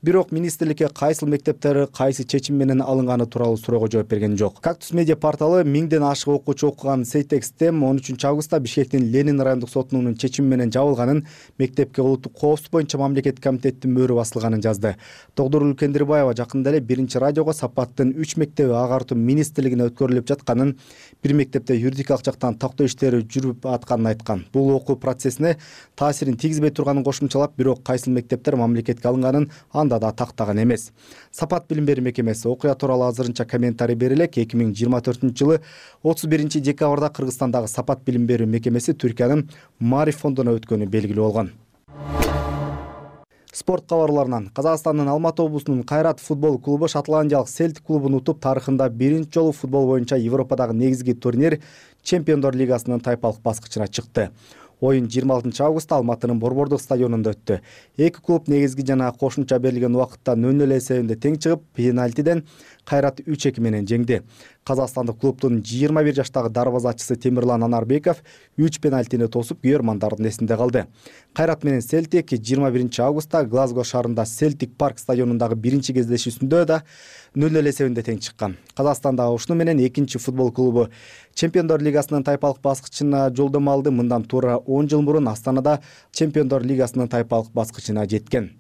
Speaker 17: Бирок министрликке кайсыл мектептер кайсы чечим менен алынганы тууралуу суроого жооп берген жок. Кактус медиа порталы 1000ден ашык окуучу окуган Сейтексте 13 августта Бишкектин Ленин райондук сотунун чечими менен жабылганын, мектепке улуттук коопсуздук боюнча мамлекеттик комитеттин мөөрү басылганын жазды. Догдургүл Кендирбаева жакында эле биринчи радиого Сапаттын 3 мектеби агартуу министрлигине өткөрүлүп жатканын, бир мектепте юридикалык жактан тактоо иштери жүрүп атканын айткан. Бул окуу процессине таасирин тийгизбей турганын кошумчалап, бирок кайсыл мектептер мамлекетке алынганын анда да тактаган эмес. Сапат билим берүү мекемеси окуя тууралуу азырынча комментарий бере элек. 2024 жылы 31 декабрда Кыргызстандагы Сапат билим берүү мекемеси Түркиянын Мариф фондуна өткөнү белгилүү болгон. Спорт кабарларынан Казакстандын Алматы облусунун Кайрат футбол клубу шотландиялык Селтик клубун утуп, тарыхында биринчи жолу футбол боюнча Европадагы негизги турнир Чемпиондор лигасынын тайпалык баскычына чыкты. Оюн 26 августта Алматынын Борбордук стадионунда өттү. Эки клуб негизги жана кошумча берилген убакытта 0-0 эсебинде тең чыгып, пенальтиден Кайрат 3-2 менен жеңди. Казакстандык клубдун 21 жаштагы дарбазачысы Темирлан Анарбеков 3 пенальтини тосуп, күйөрмандардын эсинде калды. Кайрат менен Селтик 21 августта Глазго шаарында Селтик парк стадионундагы биринчи кездешүүсүндө да 0-0 эсебинде тең чыккан. Казакстандагы ушуну менен экинчи футбол клубу Чемпиондор лигасынын тайпалык баскычына жолдомо алды. Мындан туура 10 жыл мурун Астанада Чемпиондор лигасынын тайпалык баскычына жеткен.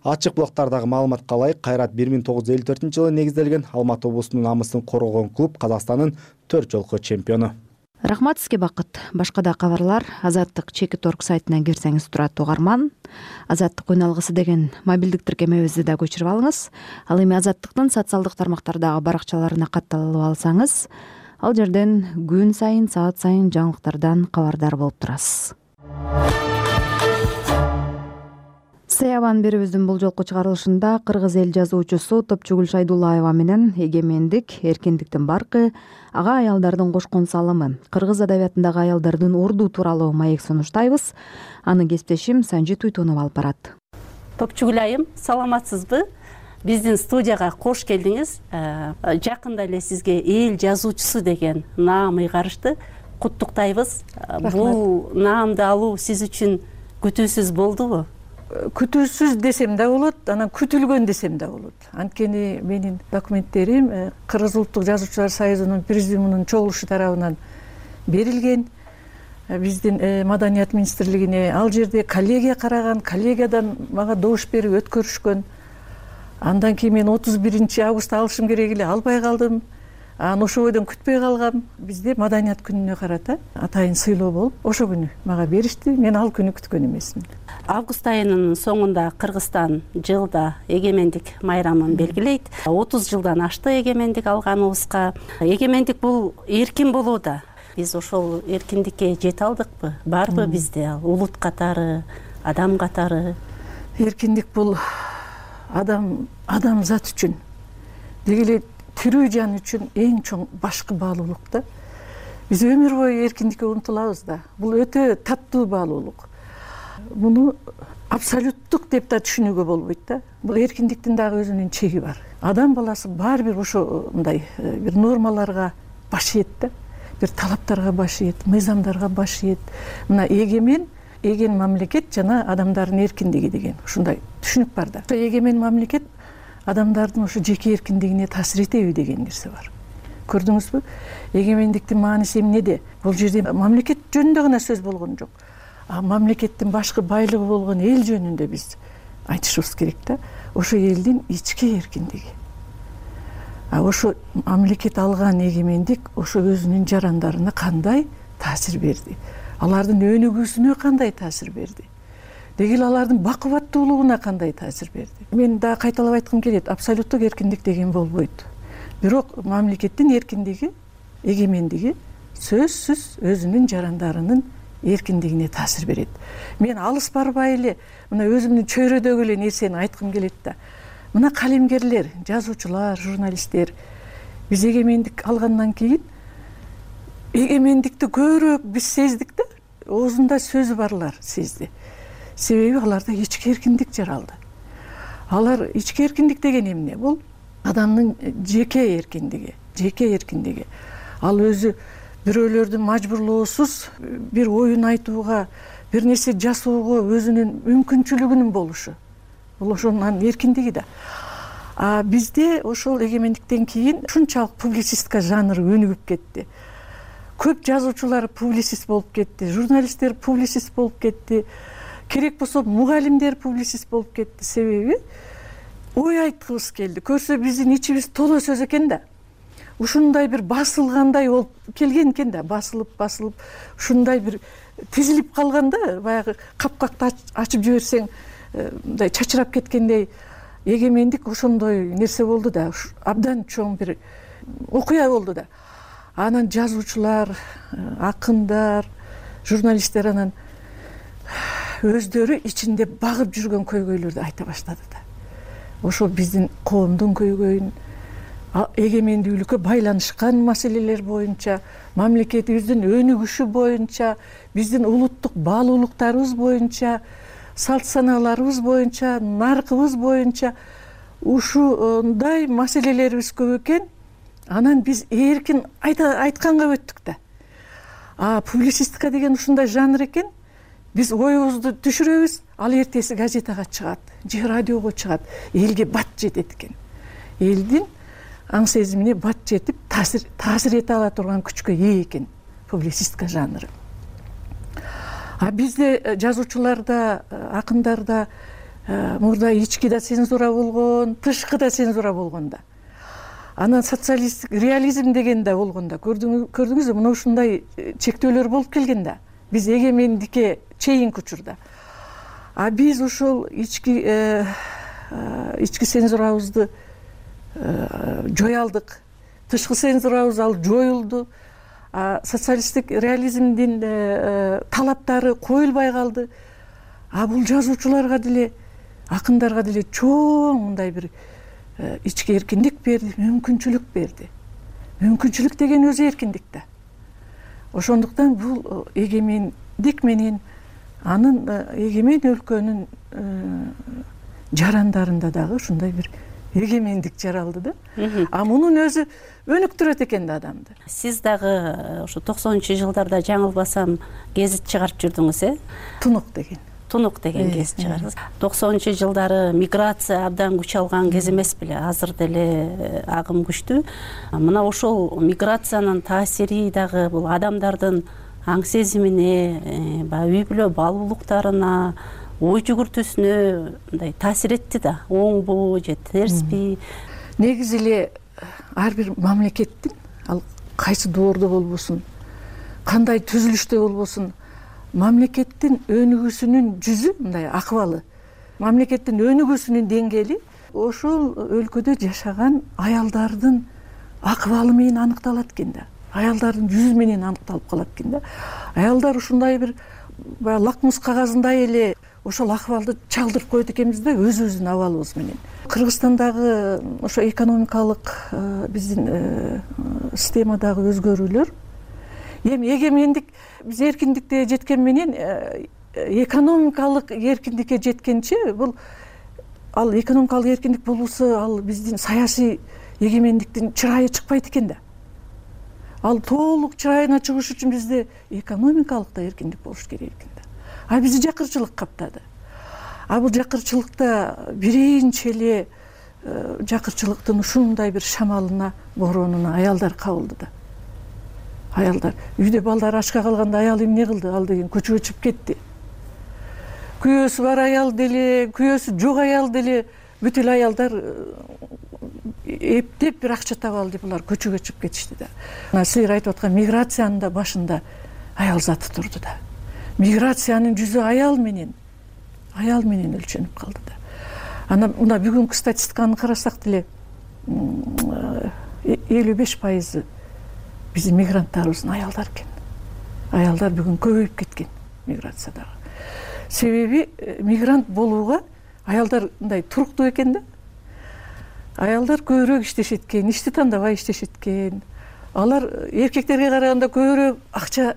Speaker 17: Ачык булактардагы маалыматка ылайык, Кайрат 1954 жылы негизделген, Алматы облусунун намысын коргогон клуб, Казакстандын 4 жолку чемпиону.
Speaker 2: Рахмат сизге Бакыт. Башка да кабарлар Азаттык Чекит.орг сайтынан кирсеңиз турат, угарман. Азаттык үн алгысы деген мобилдик тиркемебизди да көчүрүп алыңыз. Ал эми Азаттыктын социалдык тармактардагы баракчаларына катталып алсаңыз, ал жерден күн сайын, саат сайын жаңылыктардан кабардар болуп турасыз. Саябан берүүбүздүн бул жолку чыгарылышында кыргыз эл жазуучусу Топчугүл Шайдуллаева менен эгемендик, эркиндиктин баркы, ага аялдардын кошкон салымы, кыргыз адабиятындагы аялдардын орду тууралуу маек сунуштайбыз. Аны кесиптешим Санжит Уйтунов алып барат.
Speaker 18: Топчугүл айым, саламатсызбы? Биздин студияга кош келдиңиз. Жакында эле сизге эл жазуучусу деген наам ыйгарышты. Куттуктайбыз. Бул наамды алуу сиз үчүн күтүүсүз болдубу?
Speaker 19: Күтүүсүз десем да болот, анан күтүлгөн десем да болот. Анткени менин документтерим Кыргыз улуттук жазуучулар союзунун президиумунун чогулушу тарабынан берилген. Биздин маданият министрлигине ал жерде коллегия караган, коллегиядан мага добуш берип өткөрүшкөн. Андан кийин мен 31 августта алышым керек эле, албай калдым. Анан ошо бойдон күтпөй калгам. Бизде маданият күнүнө карата атайын сыйлоо болуп, ошо күнү мага беришти. Мен ал күнү күткөн эмесмин.
Speaker 18: Август айынын соңунда Кыргызстан жылда эгемендик майрамын белгилейт. 30 жылдан ашты эгемендик алганыбызга. Эгемендик бул эркин болууда. Биз ошол эркиндикке жете алдыкпы? Барбы бизде ал улут катары, адам катары?
Speaker 19: Эркиндик бул адам зат үчүн, деги эле тирүү жан үчүн эң чоң башкы баалуулук да. Биз өмүр бою эркиндикке умтулабыз да. Бул өтө таттуу баалуулук. Муну абсолюттук деп да түшүнүүгө болбойт да. Бул эркиндиктин дагы өзүнүн чеги бар. Адам баласы баары бир ошондой бир нормаларга баш ийет да. бир талаптарга баш ийет, мыйзамдарга баш ийет. Мына эген мамлекет жана адамдардын эркиндиги деген ушундай түшүнүк бар да. Эгемен мамлекет адамдардын ошо жеке эркиндигине таасир этеби деген нерсе бар. Көрдүңүзбү? Эгемендиктин мааниси эмнеде? Бул жерде мамлекет жөнүндө гана сөз болгон жок. Мамлекеттин башкы байлыгы болгон эл жөнүндө биз айтышыбыз керек да. Ошо элдин ички эркиндиги. Ошо мамлекет алган эгемендик ошо өзүнүн жарандарына кандай таасир берди? Алардын өнүгүүсүнө кандай таасир берди? Деги эле алардын бакубаттуулугуна кандай таасир берди? Мен дагы кайталап айткым келет, абсолюттук эркиндик деген болбойт. Бирок мамлекеттин эркиндиги, эгемендиги сөзсүз өзүнүн жарандарынын эркиндигине таасир берет. Мен алыс барбай эле мына өзүмдүн чөйрөдөгү эле нерсени айткым келет да. Мына калемгерлер, жазуучулар, журналисттер биз эгемендик алгандан кийин эгемендикти көбүрөөк биз сездик да. Оозунда сөзү барлар сезди. Себеби аларда ички эркиндик жаралды. Алар ички эркиндик деген эмне? Бул адамдын жеке эркиндиги. Ал өзү бирөөлөрдүн мажбурлоосуз бир оюн айтууга, бир нерсе жасоого өзүнүн мүмкүнчүлүгүнүн болушу. Бул ошонун эркиндиги да. Бизде ошол эгемендиктен кийин ушунчалык публицистика жанры өнүгүп кетти. Көп жазуучулар публицист болуп кетти, журналисттер публицист болуп кетти. Керек болсо мугалимдер публицист болуп кетти. Себеби ой айткыбыз келди. Көрсө биздин ичибиз толо сөз экен да. Ушундай бир басылгандай болуп келген экен да. Басылып ушундай бир тизилип калганда, баягы капкакты ачып жиберсең мындай чачырап кеткендей эгемендик ошондой нерсе болду да. Абдан чоң бир окуя болду да. Анан жазуучулар, акындар, журналисттер анан өздөрү ичинде багып жүргөн көйгөйлөрдү айта баштады да. Ошол биздин коомдун көйгөйүн, эгемендүүлүккө байланышкан маселелер боюнча, мамлекетибиздин өнүгүшү боюнча, биздин улуттук баалуулуктарыбыз боюнча, салт санааларыбыз боюнча, наркыбыз боюнча ушундай маселелерибиз көп экен. Анан биз эркин айтканга өттүк да. Публицистика деген ушундай жанр экен. Биз оюбузду түшүрөбүз, ал эртеси газетага чыгат, же радиого чыгат, элге бат жетет экен. Элдин аң сезимине бат жетип, таасир эте ала турган күчкө ээ экен публицистика жанры. Бизде жазуучуларда, акындарда мурда ички да цензура болгон, тышкы да цензура болгон да. Анан социалисттик реализм деген да болгон да. Көрдүңүзбү, мына ушундай чектөөлөр болуп келген да. Биз эгемендикке чейинки учурда. Биз ушул ички цензурабызды жоя алдык. Тышкы цензурабыз ал жоюлду. Социалисттик реализмдин талаптары коюлбай калды. Бул жазуучуларга деле, акындарга деле чоң мындай бир ички эркиндик берди, мүмкүнчүлүк берди. Мүмкүнчүлүк деген өзү эркиндик да. Ошондуктан бул эгемендик менен анын эгемен өлкөнүн жарандарында дагы ушундай бир эгемендик жаралды да. Мунун өзү өнүктүрөт экен да адамды.
Speaker 18: Сиз дагы ошо 90-жылдарда жаңылбасам гезит чыгарып жүрдүңүз, Тунук деген гезит чыгардыңыз. 90-жылдары миграция абдан күч алган кез эмес беле? Азыр деле агым күчтүү. Мына ошол миграциянын таасири дагы бул адамдардын аң сезимине, үй бүлө баалуулуктарына, ой жүгүртүүсүнө мындай таасир этти да. Оңбу же терсби?
Speaker 19: Негизи эле ар бир мамлекеттин, ал кайсы доордо болбосун, кандай түзүлүштө болбосун, мамлекеттин өнүгүүсүнүн жүзү, мындай акыбалы, мамлекеттин өнүгүүсүнүн деңгээли ошол өлкөдө жашаган аялдардын акыбалы менен аныкталат экен да. Аялдардын жүзү менен аныкталып калат экен да. Аялдар ушундай бир лакмус кагазындай эле ошол акыбалды чалдырып коет экенбиз да өзүбүздүн абалыбыз менен. Кыргызстандагы ошо экономикалык биздин системадагы өзгөрүүлөр, эми эгемендик биз эркиндикке жеткен менен экономикалык эркиндикке жеткенче бул ал экономикалык эркиндик болбосо ал биздин саясий эгемендиктин чырайы чыкпайт экен да. ал толук чырайына чыгыш үчүн бизде экономикалык да эркиндик болуш керек экен да. А бизди жакырчылык каптады. А бул жакырчылыкта биринчи эле жакырчылыктын ушундай бир шамалына, боронуна аялдар кабылды да. Аялдар үйдө балдар ачка калганда аял эмне кылды? Ал деген көчөгө чыгып кетти. Күйөөсү бар аял деле, күйөөсү жок аял деле, бүт эле аялдар эптеп бир акча таап алды, булар көчөгө чыгып кетишти да. Мына силер айтып аткан миграциянын да башында аял заты турду да. Миграциянын жүзү аял менен өлчөнүп калды да. Ана мына бүгүнкү статистиканы карасак деле 55% биздин мигранттарыбыздын аялдар экен. Аялдар бүгүн көбөйүп кеткен миграциядагы. Себеби мигрант болууга аялдар мындай туруктуу экен да. Аялдар көбүрөөк иштешет экен, ишти тандабай иштешет экен. Алар эркектерге караганда көбүрөөк акча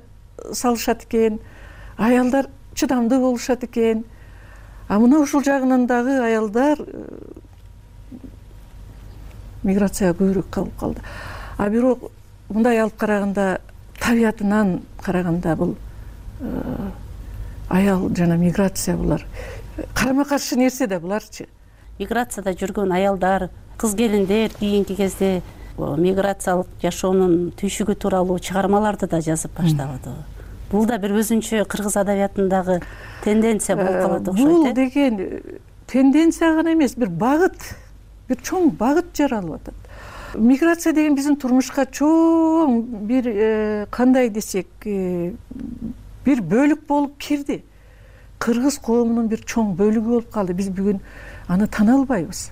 Speaker 19: салышат экен. Аялдар чыдамдуу болушат экен. А мына ушул жагынан дагы аялдар миграцияга көбүрөөк кабылып калды. А бирок мындай алып караганда, табиятынан караганда бул аял жана миграция булар карама каршы нерсе да буларчы.
Speaker 18: Миграцияда жүргөн аялдар, кыз келиндер кийинки кезде миграциялык жашоонун түйшүгү тууралуу чыгармаларды да жазып баштаган. Бул да бир өзүнчө кыргыз адабиятындагы тенденция болуп калат окшойт.
Speaker 19: Бул деген тенденция гана эмес, бир багыт, бир чоң багыт жаралып атат. Миграция деген биздин турмушка чоң бир кандай десек, бир бөлүк болуп кирди. Кыргыз коомунун бир чоң бөлүгү болуп калды. Биз бүгүн аны тана албайбыз.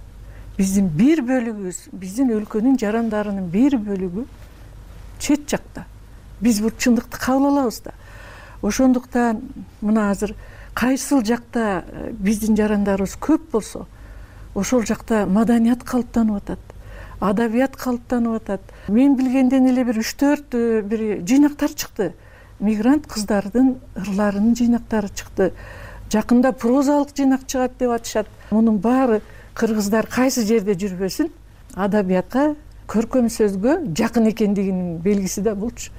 Speaker 19: Биздин бир бөлүгүбүз, биздин өлкөнүн жарандарынын бир бөлүгү чет жакта. Биз бул чындыкты кабыл алабыз да. Ошондуктан мына азыр кайсыл жакта биздин жарандарыбыз көп болсо, ошол жакта маданият калыптанып атат, адабият калыптанып атат. Мен билгенден эле бир 3-4 бир жыйнактар чыкты. Мигрант кыздардын ырларынын жыйнактары чыкты. Жакында прозалык жыйнак чыгат деп атышат. Мунун баары кыргыздар кайсы жерде жүрбөсүн, адабиятка, көркөм сөзгө жакын экендигинин белгиси да булчу.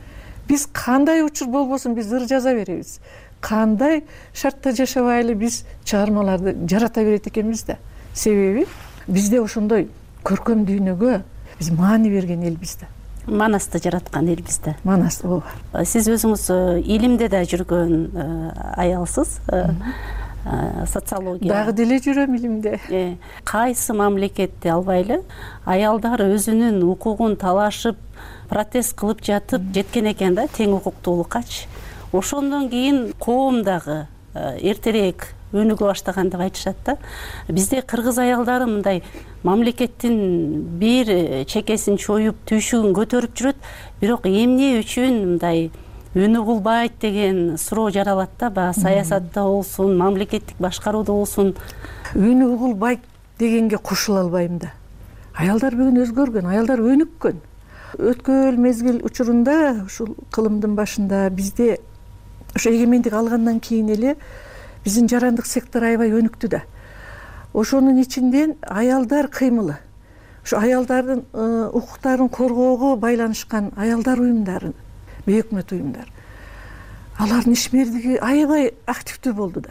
Speaker 19: Биз кандай учур болбосун биз ыр жаза беребиз. Кандай шартта жашабайлы биз чыгармаларды жарата берет экенбиз да. Себеби бизде ошондой көркөм дүйнөгө биз маани берген элбиз да.
Speaker 18: Манасты жараткан элбиз да.
Speaker 19: Манас, ооба.
Speaker 18: Сиз өзүңүз илимде да жүргөн аялсыз. Социология.
Speaker 19: Дагы деле жүрөм илимде.
Speaker 18: Кайсы мамлекетти албайлы аялдар өзүнүн укугун талашып, протест кылып жатып жеткен экен да, тең укуктуулуккачы. Ошондон кийин коом дагы эртерээк өнүгө баштаган деп айтышат да. Бизде кыргыз аялдары мындай мамлекеттин бир чекесин чоюп, түйшүгүн көтөрүп жүрөт, бирок эмне үчүн мындай өнү кулбайт деген суроо жаралат да. Баягы саясатта болсун, мамлекеттик башкарууда болсун.
Speaker 19: Өнү кулбайт дегенге кошула албайм да. Аялдар бүгүн өзгөргөн, аялдар өнүккөн. Өткөн мезгил учурунда, ушул кылымдын башында бизде ошо эгемендик алгандан кийин эле биздин жарандык сектор аябай өнүктү да. Ошонун ичинден аялдар кыймылы, ошо аялдардын укуктарын коргоого байланышкан аялдар уюмдары, бейөкмөт уюмдар. Алардын ишмердиги аябай активдүү болду да.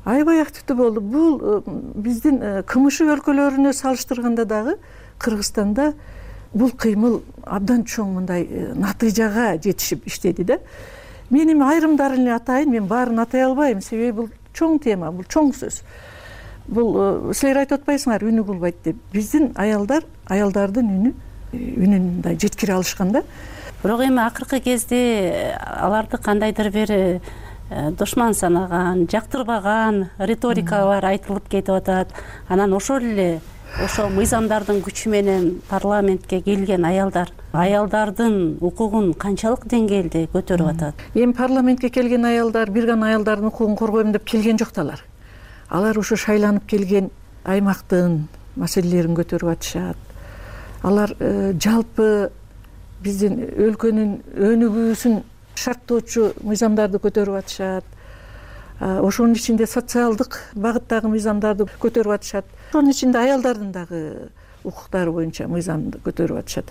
Speaker 19: Аябай активдүү болду. Бул биздин КМШ өлкөлөрүнө салыштырганда дагы Кыргызстанда бул кыймыл абдан чоң мындай натыйжага жетишип иштеди да. Мен эми айрымдарын эле атайын, мен баарын атай албайм, себеби бул чоң тема, бул чоң сөз. Бул силер айтып атпайсыңар үнү кулбайт деп. Биздин аялдардын үнүн мындай жеткире алышкан да.
Speaker 18: Бирок эми акыркы кезде аларды кандайдыр бир душман санаган, жактырбаган риторикалар айтылып кетип атат. Анан ошол эле ошо мыйзамдардын күчү менен парламентке келген аялдардын укугун канчалык деңгээлде көтөрүп атат?
Speaker 19: Эми парламентке келген аялдар бир гана аялдардын укугун коргойм деп келген жок да алар. Алар ошо шайланып келген аймактын маселелерин көтөрүп атышат. Алар жалпы биздин өлкөнүн өнүгүүсүн шарттоочу мыйзамдарды көтөрүп атышат. Ошонун ичинде социалдык багыттагы мыйзамдарды көтөрүп атышат. Ошонун ичинде аялдардын дагы укуктары боюнча мыйзамды көтөрүп атышат.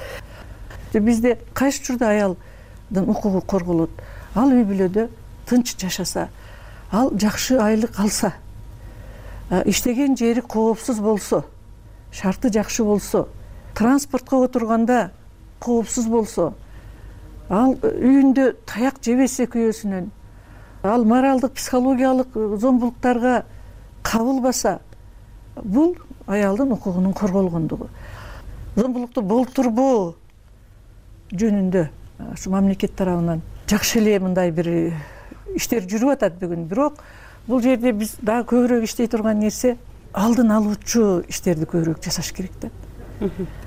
Speaker 19: бизде кайсы учурда аялдын укугу корголот? Ал үй бүлөдө тынч жашаса, ал жакшы айлык алса, иштеген жери коопсуз болсо, шарты жакшы болсо, транспортко отурганда коопсуз болсо, ал үйүндө таяк жебесе күйөөсүнөн, ал моралдык психологиялык зомбулуктарга кабылбаса, бул аялдын укугунун корголгондугу. Зомбулукту болтурбоо жөнүндө ушу мамлекет тарабынан жакшы эле мындай бир иштер жүрүп атат бүгүн. Бирок бул жерде биз дагы көбүрөөк иштей турган нерсе алдын алуучу иштерди көбүрөөк жасаш керек да.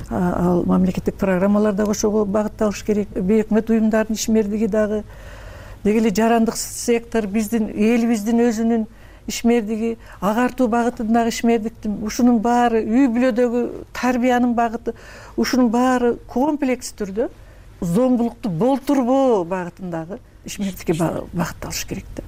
Speaker 19: Ал мамлекеттик программалар дагы ошого багытталыш керек. Бейөкмөт уюмдардын ишмердиги дагы, деги эле жарандык сектор, биздин элибиздин өзүнүн ишмердиги, агартуу багытындагы ишмердиктин, ушунун баары үй бүлөдөгү тарбиянын багыты, ушунун баары комплекс түрдө зомбулукту болтурбоо багытындагы ишмердикке багытталыш керек да.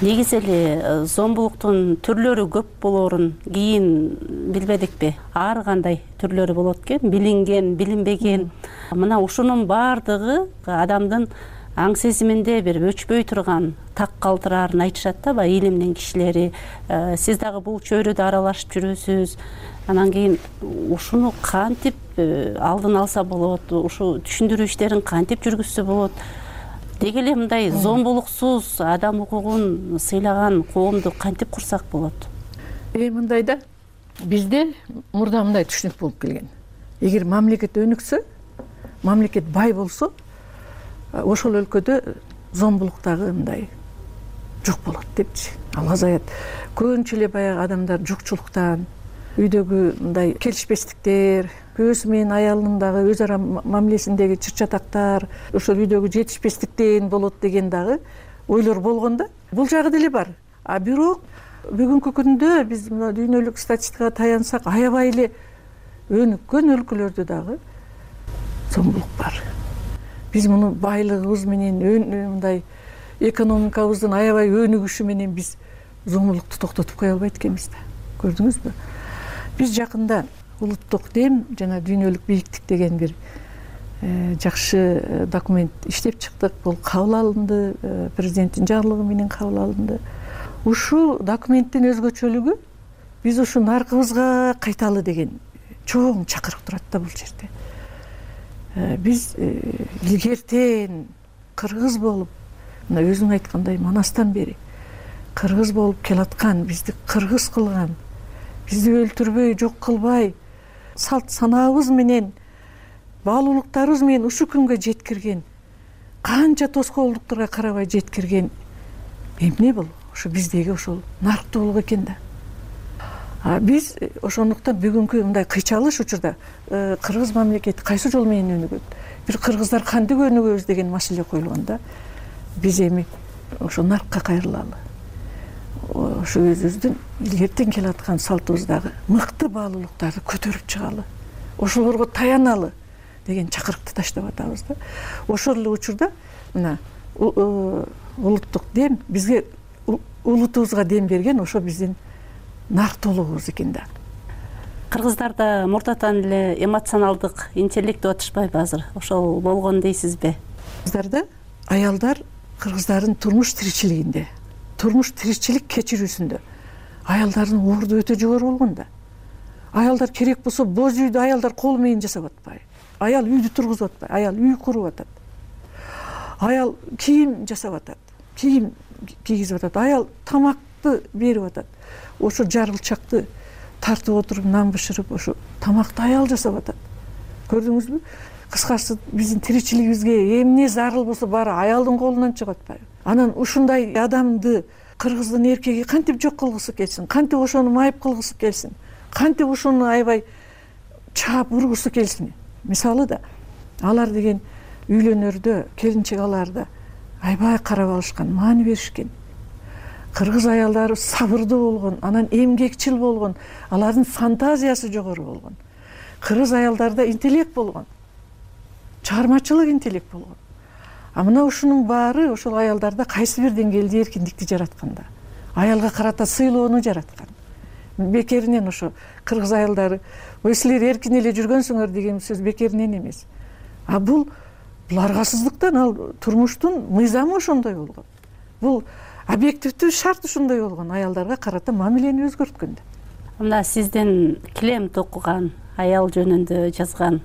Speaker 18: Негизи эле зомбулуктун түрлөрү көп болоорун кийин билбедикпи? Ар кандай түрлөрү болот экен, билинген, билинбеген. Мына ушунун баардыгы адамдын аң сезиминде бир өчпөй турган так калтыраарын айтышат да, баягы илимдин кишилери. Сиз дагы бул чөйрөдө аралашып жүрөсүз. Анан кийин ушуну кантип алдын алса болот, ушу түшүндүрүү иштерин кантип жүргүзсө болот? Деги эле мындай зомбулуксуз адам укугун сыйлаган коомду кантип курсак болот?
Speaker 19: Мындай да, бизде мурда мындай түшүнүк болуп келген. Эгер мамлекет өнүксө, мамлекет бай болсо, ошол өлкөдө зомбулук дагы мындай жок болот депчи. Ал азаят. Көбүнчө эле баягы адамдар жукчулуктан, үйдөгү мындай келишпестиктер, күйөөсү менен аялынын дагы өз ара мамилесиндеги чыр-чатактар, ошол үйдөгү жетишпестиктен болот деген дагы ойлор болгон да. Бул жагы деле бар. Бирок бүгүнкү күндө биз мына дүйнөлүк статистикага таянсак, аябай эле өнүккөн өлкөлөрдө дагы зомбулук бар. Биз муну байлыгыбыз менен мындай экономикабыздын аябай өнүгүшү менен биз зомбулукту токтотуп кое албайт экенбиз да. Көрдүңүзбү? Биз жакында улуттук дем жана дүйнөлүк бийиктик деген бир жакшы документ иштеп чыктык. Бул кабыл алынды, президенттин жарлыгы менен кабыл алынды. Ушул документтин өзгөчөлүгү биз ушу наркыбызга кайталы деген чоң чакырык турат да бул жерде. Биз илгертен кыргыз болуп, мына өзүң айткандай манастан бери кыргыз болуп келаткан, бизди кыргыз кылган, бизди өлтүрбөй, жок кылбай, салт санаабыз менен, баалуулуктарыбыз менен ушу күнгө жеткирген, канча тоскоолдуктарга карабай жеткирген эмне бул? Ошо биздеги ошол нарктуулук экен да. Биз ошондуктан бүгүнкү мындай кыйчалыш учурда кыргыз мамлекети кайсы жол менен өнүгөт? Бир кыргыздар кантип өнүгөбүз деген маселе коюлган да. Биз эми ошо наркка кайрылалы. Ошо өзүбүздүн илгертен келаткан салтыбыздагы мыкты баалуулуктарды көтөрүп чыгалы. Ошолорго таяналы деген чакырыкты таштап атабыз да. Ошол эле учурда мына улуттук дем бизге улутубузга дем берген ошо биздин нарктуулугубуз экен да.
Speaker 18: Кыргыздарда мурдатан эле эмоционалдык интеллект деп атышпайбы азыр? Ошол болгон дейсизби?
Speaker 19: Кыргыздарда аялдар кыргыздардын турмуш тиричилигинде, турмуш тиричилик кечирүүсүндө аялдардын орду өтө жогору болгон да. Аялдар керек болсо боз үйдү аялдар кол менен жасап атпайбы? Аял үйдү тургузуп атпайбы? Аял үй куруп атат. Аял кийим жасап атат, кийим кийгизип атат. Аял тамакты берип атат. Ошо жарылчакты тартып отуруп, нан бышырып, ошо тамакты аял жасап атат. Көрдүңүзбү? Кыскасы биздин тиричилигибизге эмне зарыл болсо баары аялдын колунан чыгып атпайбы? Анан ушундай адамды кыргыздын эркеги кантип жок кылгысы келсин, кантип ошону майып кылгысы келсин, кантип ошону аябай чаап ургусу келсин. Мисалы да алар деген үйлөнөрдө келинчек аларда аябай карап алышкан, маани беришкен. Кыргыз аялдары сабырдуу болгон, анан эмгекчил болгон, алардын фантазиясы жогору болгон. Кыргыз аялдарда интеллект болгон, чыгармачылык интеллект болгон. Мына ушунун баары ошол аялдарда кайсы бир деңгээлде эркиндикти жаратканда, аялга карата сыйлоону жараткан. Бекеринен ошо кыргыз аялдары, ой силер эркин эле жүргөнсүңөр деген сөз бекеринен эмес. бул аргасыздыктан, ал турмуштун мыйзамы ошондой болгон, бул объективдүү шарт ушундай болгон, аялдарга карата мамилени өзгөрткөндө.
Speaker 18: Мына сиздин килем токуган аял жөнүндө жазган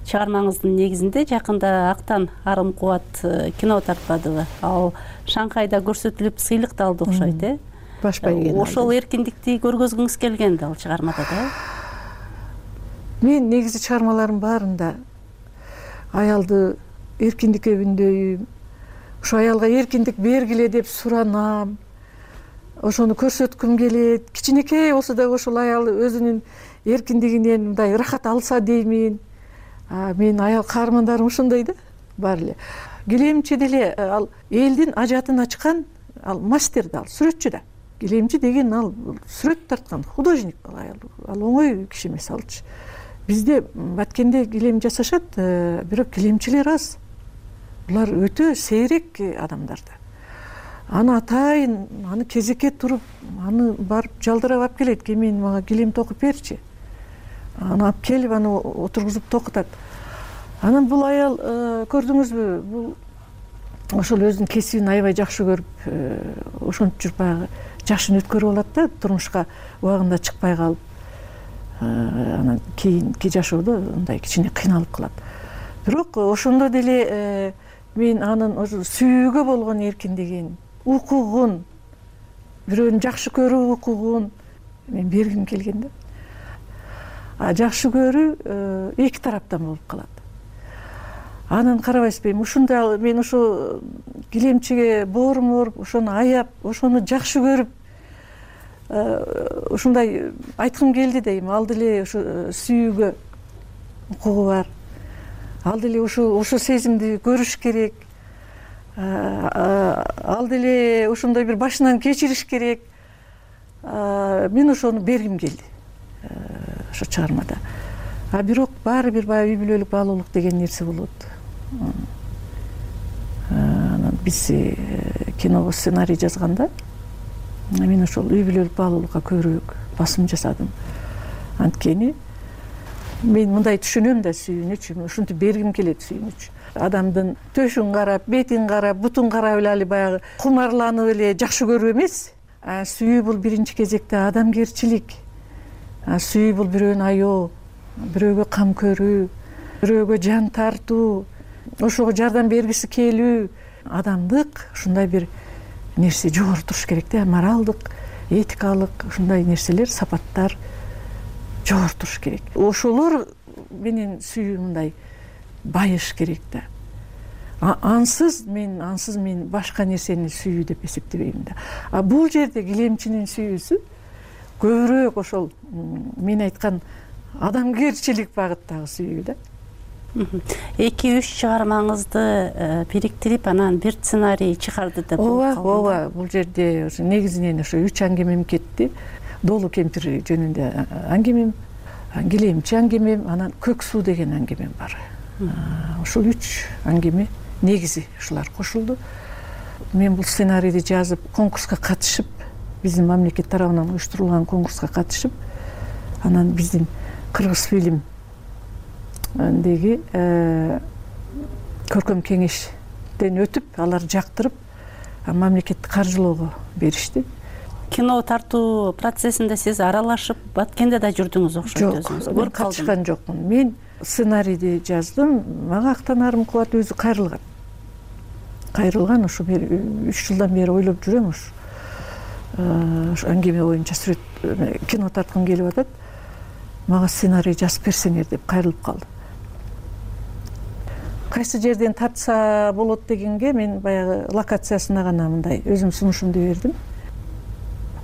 Speaker 18: чыгармаңыздын негизинде жакында Актан Арым Кубат кино тартпадыбы? Ал Шанхайда көрсөтүлүп сыйлык да алды окшойт,
Speaker 19: Баш байгени.
Speaker 18: Ошол эркиндикти көргөзгүңүз келген да ал чыгармада да?
Speaker 19: Мен негизи чыгармаларым баарында аялды эркиндикке үндөйм, ошо аялга эркиндик бергиле деп суранам, ошону көрсөткүм келет. Кичинекей болсо дагы ошол аял өзүнүн эркиндигинен мындай ырахат алса деймин. Мен аял каармандарым ушундай да, баары эле. Килемчи деле ал элдин ажатын ачкан, ал мастер да, ал сүрөтчү да. Килемчи деген ал сүрөт тарткан художник аял. Ал оңой киши эмес алчы. Бизде Баткенде килем жасашат, бирок килемчилер аз. Булар өтө сейрек адамдар да. Аны атайын, аны кезекке туруп, аны барып жалдырап алып келет. Кемен мага килем токуп берчи. Аны алып келип, аны отургузуп токутат. Анан бул аял, көрдүңүзбү, бул ошол өзүнүн кесибин аябай жакшы көрүп, ошентип жүрүп баягы жашын өткөрүп алат да, турмушка убагында чыкпай калып. Анан кийинки жашоодо мындай кичине кыйналып калат. Бирок ошондо деле мен анын ошо сүйүүгө болгон эркиндигин, укугун, бирөөнү жакшы көрүү укугун мен бергим келген да. Жакшы көрүү эки тараптан болуп калат. Анан карабайсызбы, ушундай мен ошо килемчиге боорум ооруп, ошону аяп, ошону жакшы көрүп, ушундай айткым келди дейм. Ал деле ошо сүйүүгө укугу бар. Ал деле ошо сезимди көрүш керек. Ал деле ошондой бир башынан кечириш керек. Мен ошону бергим келди ошо чыгармада. Бирок баары бир баягы үй бүлөлүк баалуулук деген нерсе болот. Анан биз киного сценарий жазганда мен ошол үй бүлөлүк баалуулукка көбүрөөк басым жасадым. Анткени мен мындай түшүнөм да сүйүүнүчү, ушинтип бергим келет сүйүүнүчү. Адамдын төшүн карап, бетин карап, бутун карап эле баягы кумарланып эле жакшы көрүү эмес. Сүйүү бул биринчи кезекте адамгерчилик. Сүйүү бул бирөөнү аябоо, бирөөгө кам көрүү, бирөөгө жан тартуу, ошого жардам бергиси келүү. Адамдык ушундай бир нерсе жогору туруш керек да, моралдык, этикалык ушундай нерселер, сапаттар жогору туруш керек. Ошолор менен сүйүү мындай байыш керек да. Ансыз мен башка нерсени сүйүү деп эсептебейм да. Бул жерде килемчинин сүйүүсү көбүрөөк ошол мен айткан адамгерчилик багыттагы сүйүү да.
Speaker 18: 2-3 чыгармаңызды бириктирип, анан бир сценарий чыгарды деп
Speaker 19: болуп калды. Ооба, бул жерде ошо негизинен ошо 3 аңгемем кетти. Долу кемпир жөнүндө аңгемем, килемчи аңгемем, анан көк суу деген аңгемем бар. Ошол 3 аңгеме негизи ушулар кошулду. Мен бул сценарийди жазып, конкурска катышып, биздин мамлекет тарабынан уюштурулган конкурска катышып, анан биздин Кыргыз фильм деги көркөм кеңештен өтүп, алар жактырып, мамлекеттик каржылоого беришти.
Speaker 18: Кино тартуу процессинде сиз аралашып, Баткенде да жүрдүңүз окшойт өзүңүз.
Speaker 19: Жок, катышкан жокмун. Мен сценарийди жаздым, мага Актан Арым Кубат өзү кайрылган. Кайрылган, ошо 3 жылдан бери ойлоп жүрөм, ошо аңгеме боюнча сүрөт кино тарткым келип атат. Мага сценарий жазып берсеңер деп кайрылып калды. Кайсы жерден тартса болот дегенге мен баягы локациясына гана мындай өзүм сунушумду бердим.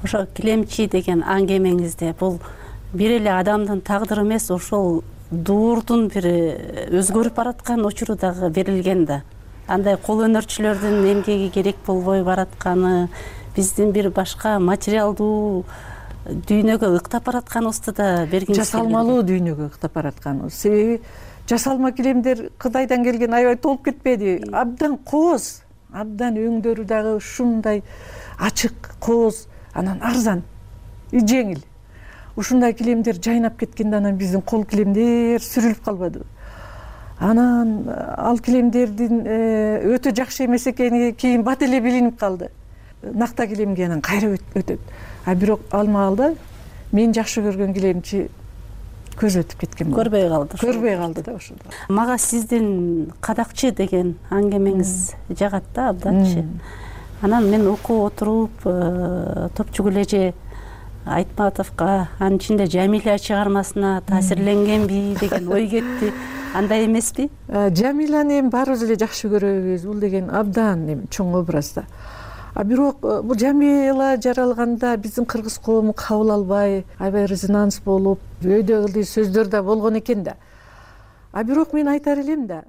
Speaker 18: Ошо килемчи деген аңгемеңизде бул бир эле адамдын тагдыры эмес, ошол дуурдун бир өзгөрүп бараткан учуру дагы берилген да. Андай кол өнөрчүлөрдүн эмгеги керек болбой баратканы, биздин бир башка материалдуу дүйнөгө ыктап баратканыбызды да бергиңиз келген.
Speaker 19: Жасалмалуу дүйнөгө ыктап баратканыбыз. Себеби жасалма килемдер Кытайдан келген аябай толуп кетпеди. Абдан кооз, абдан өңдөрү дагы ушундай ачык, кооз, анан арзан, жеңил. Ушундай килемдер жайнап кеткенде анан биздин кол килемдер сүрүлүп калбадыбы? анан ал килемдердин өтө жакшы эмес экени кийин бат эле билинип калды. Накта килемге анан кайра өтөт. А бирок ал маалда мен жакшы көргөн килемчи көз өтүп кеткен. Көрбөй калды да ошондо.
Speaker 18: Мага сиздин кадакчы деген аңгемеңиз жагат да абданчы. Анан мен окуп отуруп Топчук Элеже Айтматовго, анын ичинде Жамиля чыгармасына таасирленгенби деген ой кетти. Андай эмеспи?
Speaker 19: Жамиляны эми баарыбыз эле жакшы көрөбүз. Бул деген абдан эми чоң образ да. А бирок бул Жамила жаралганда биздин кыргыз коому кабыл албай, аябай резонанс болуп, өйдө ылдый сөздөр да болгон экен да. А бирок мен айтар элем да,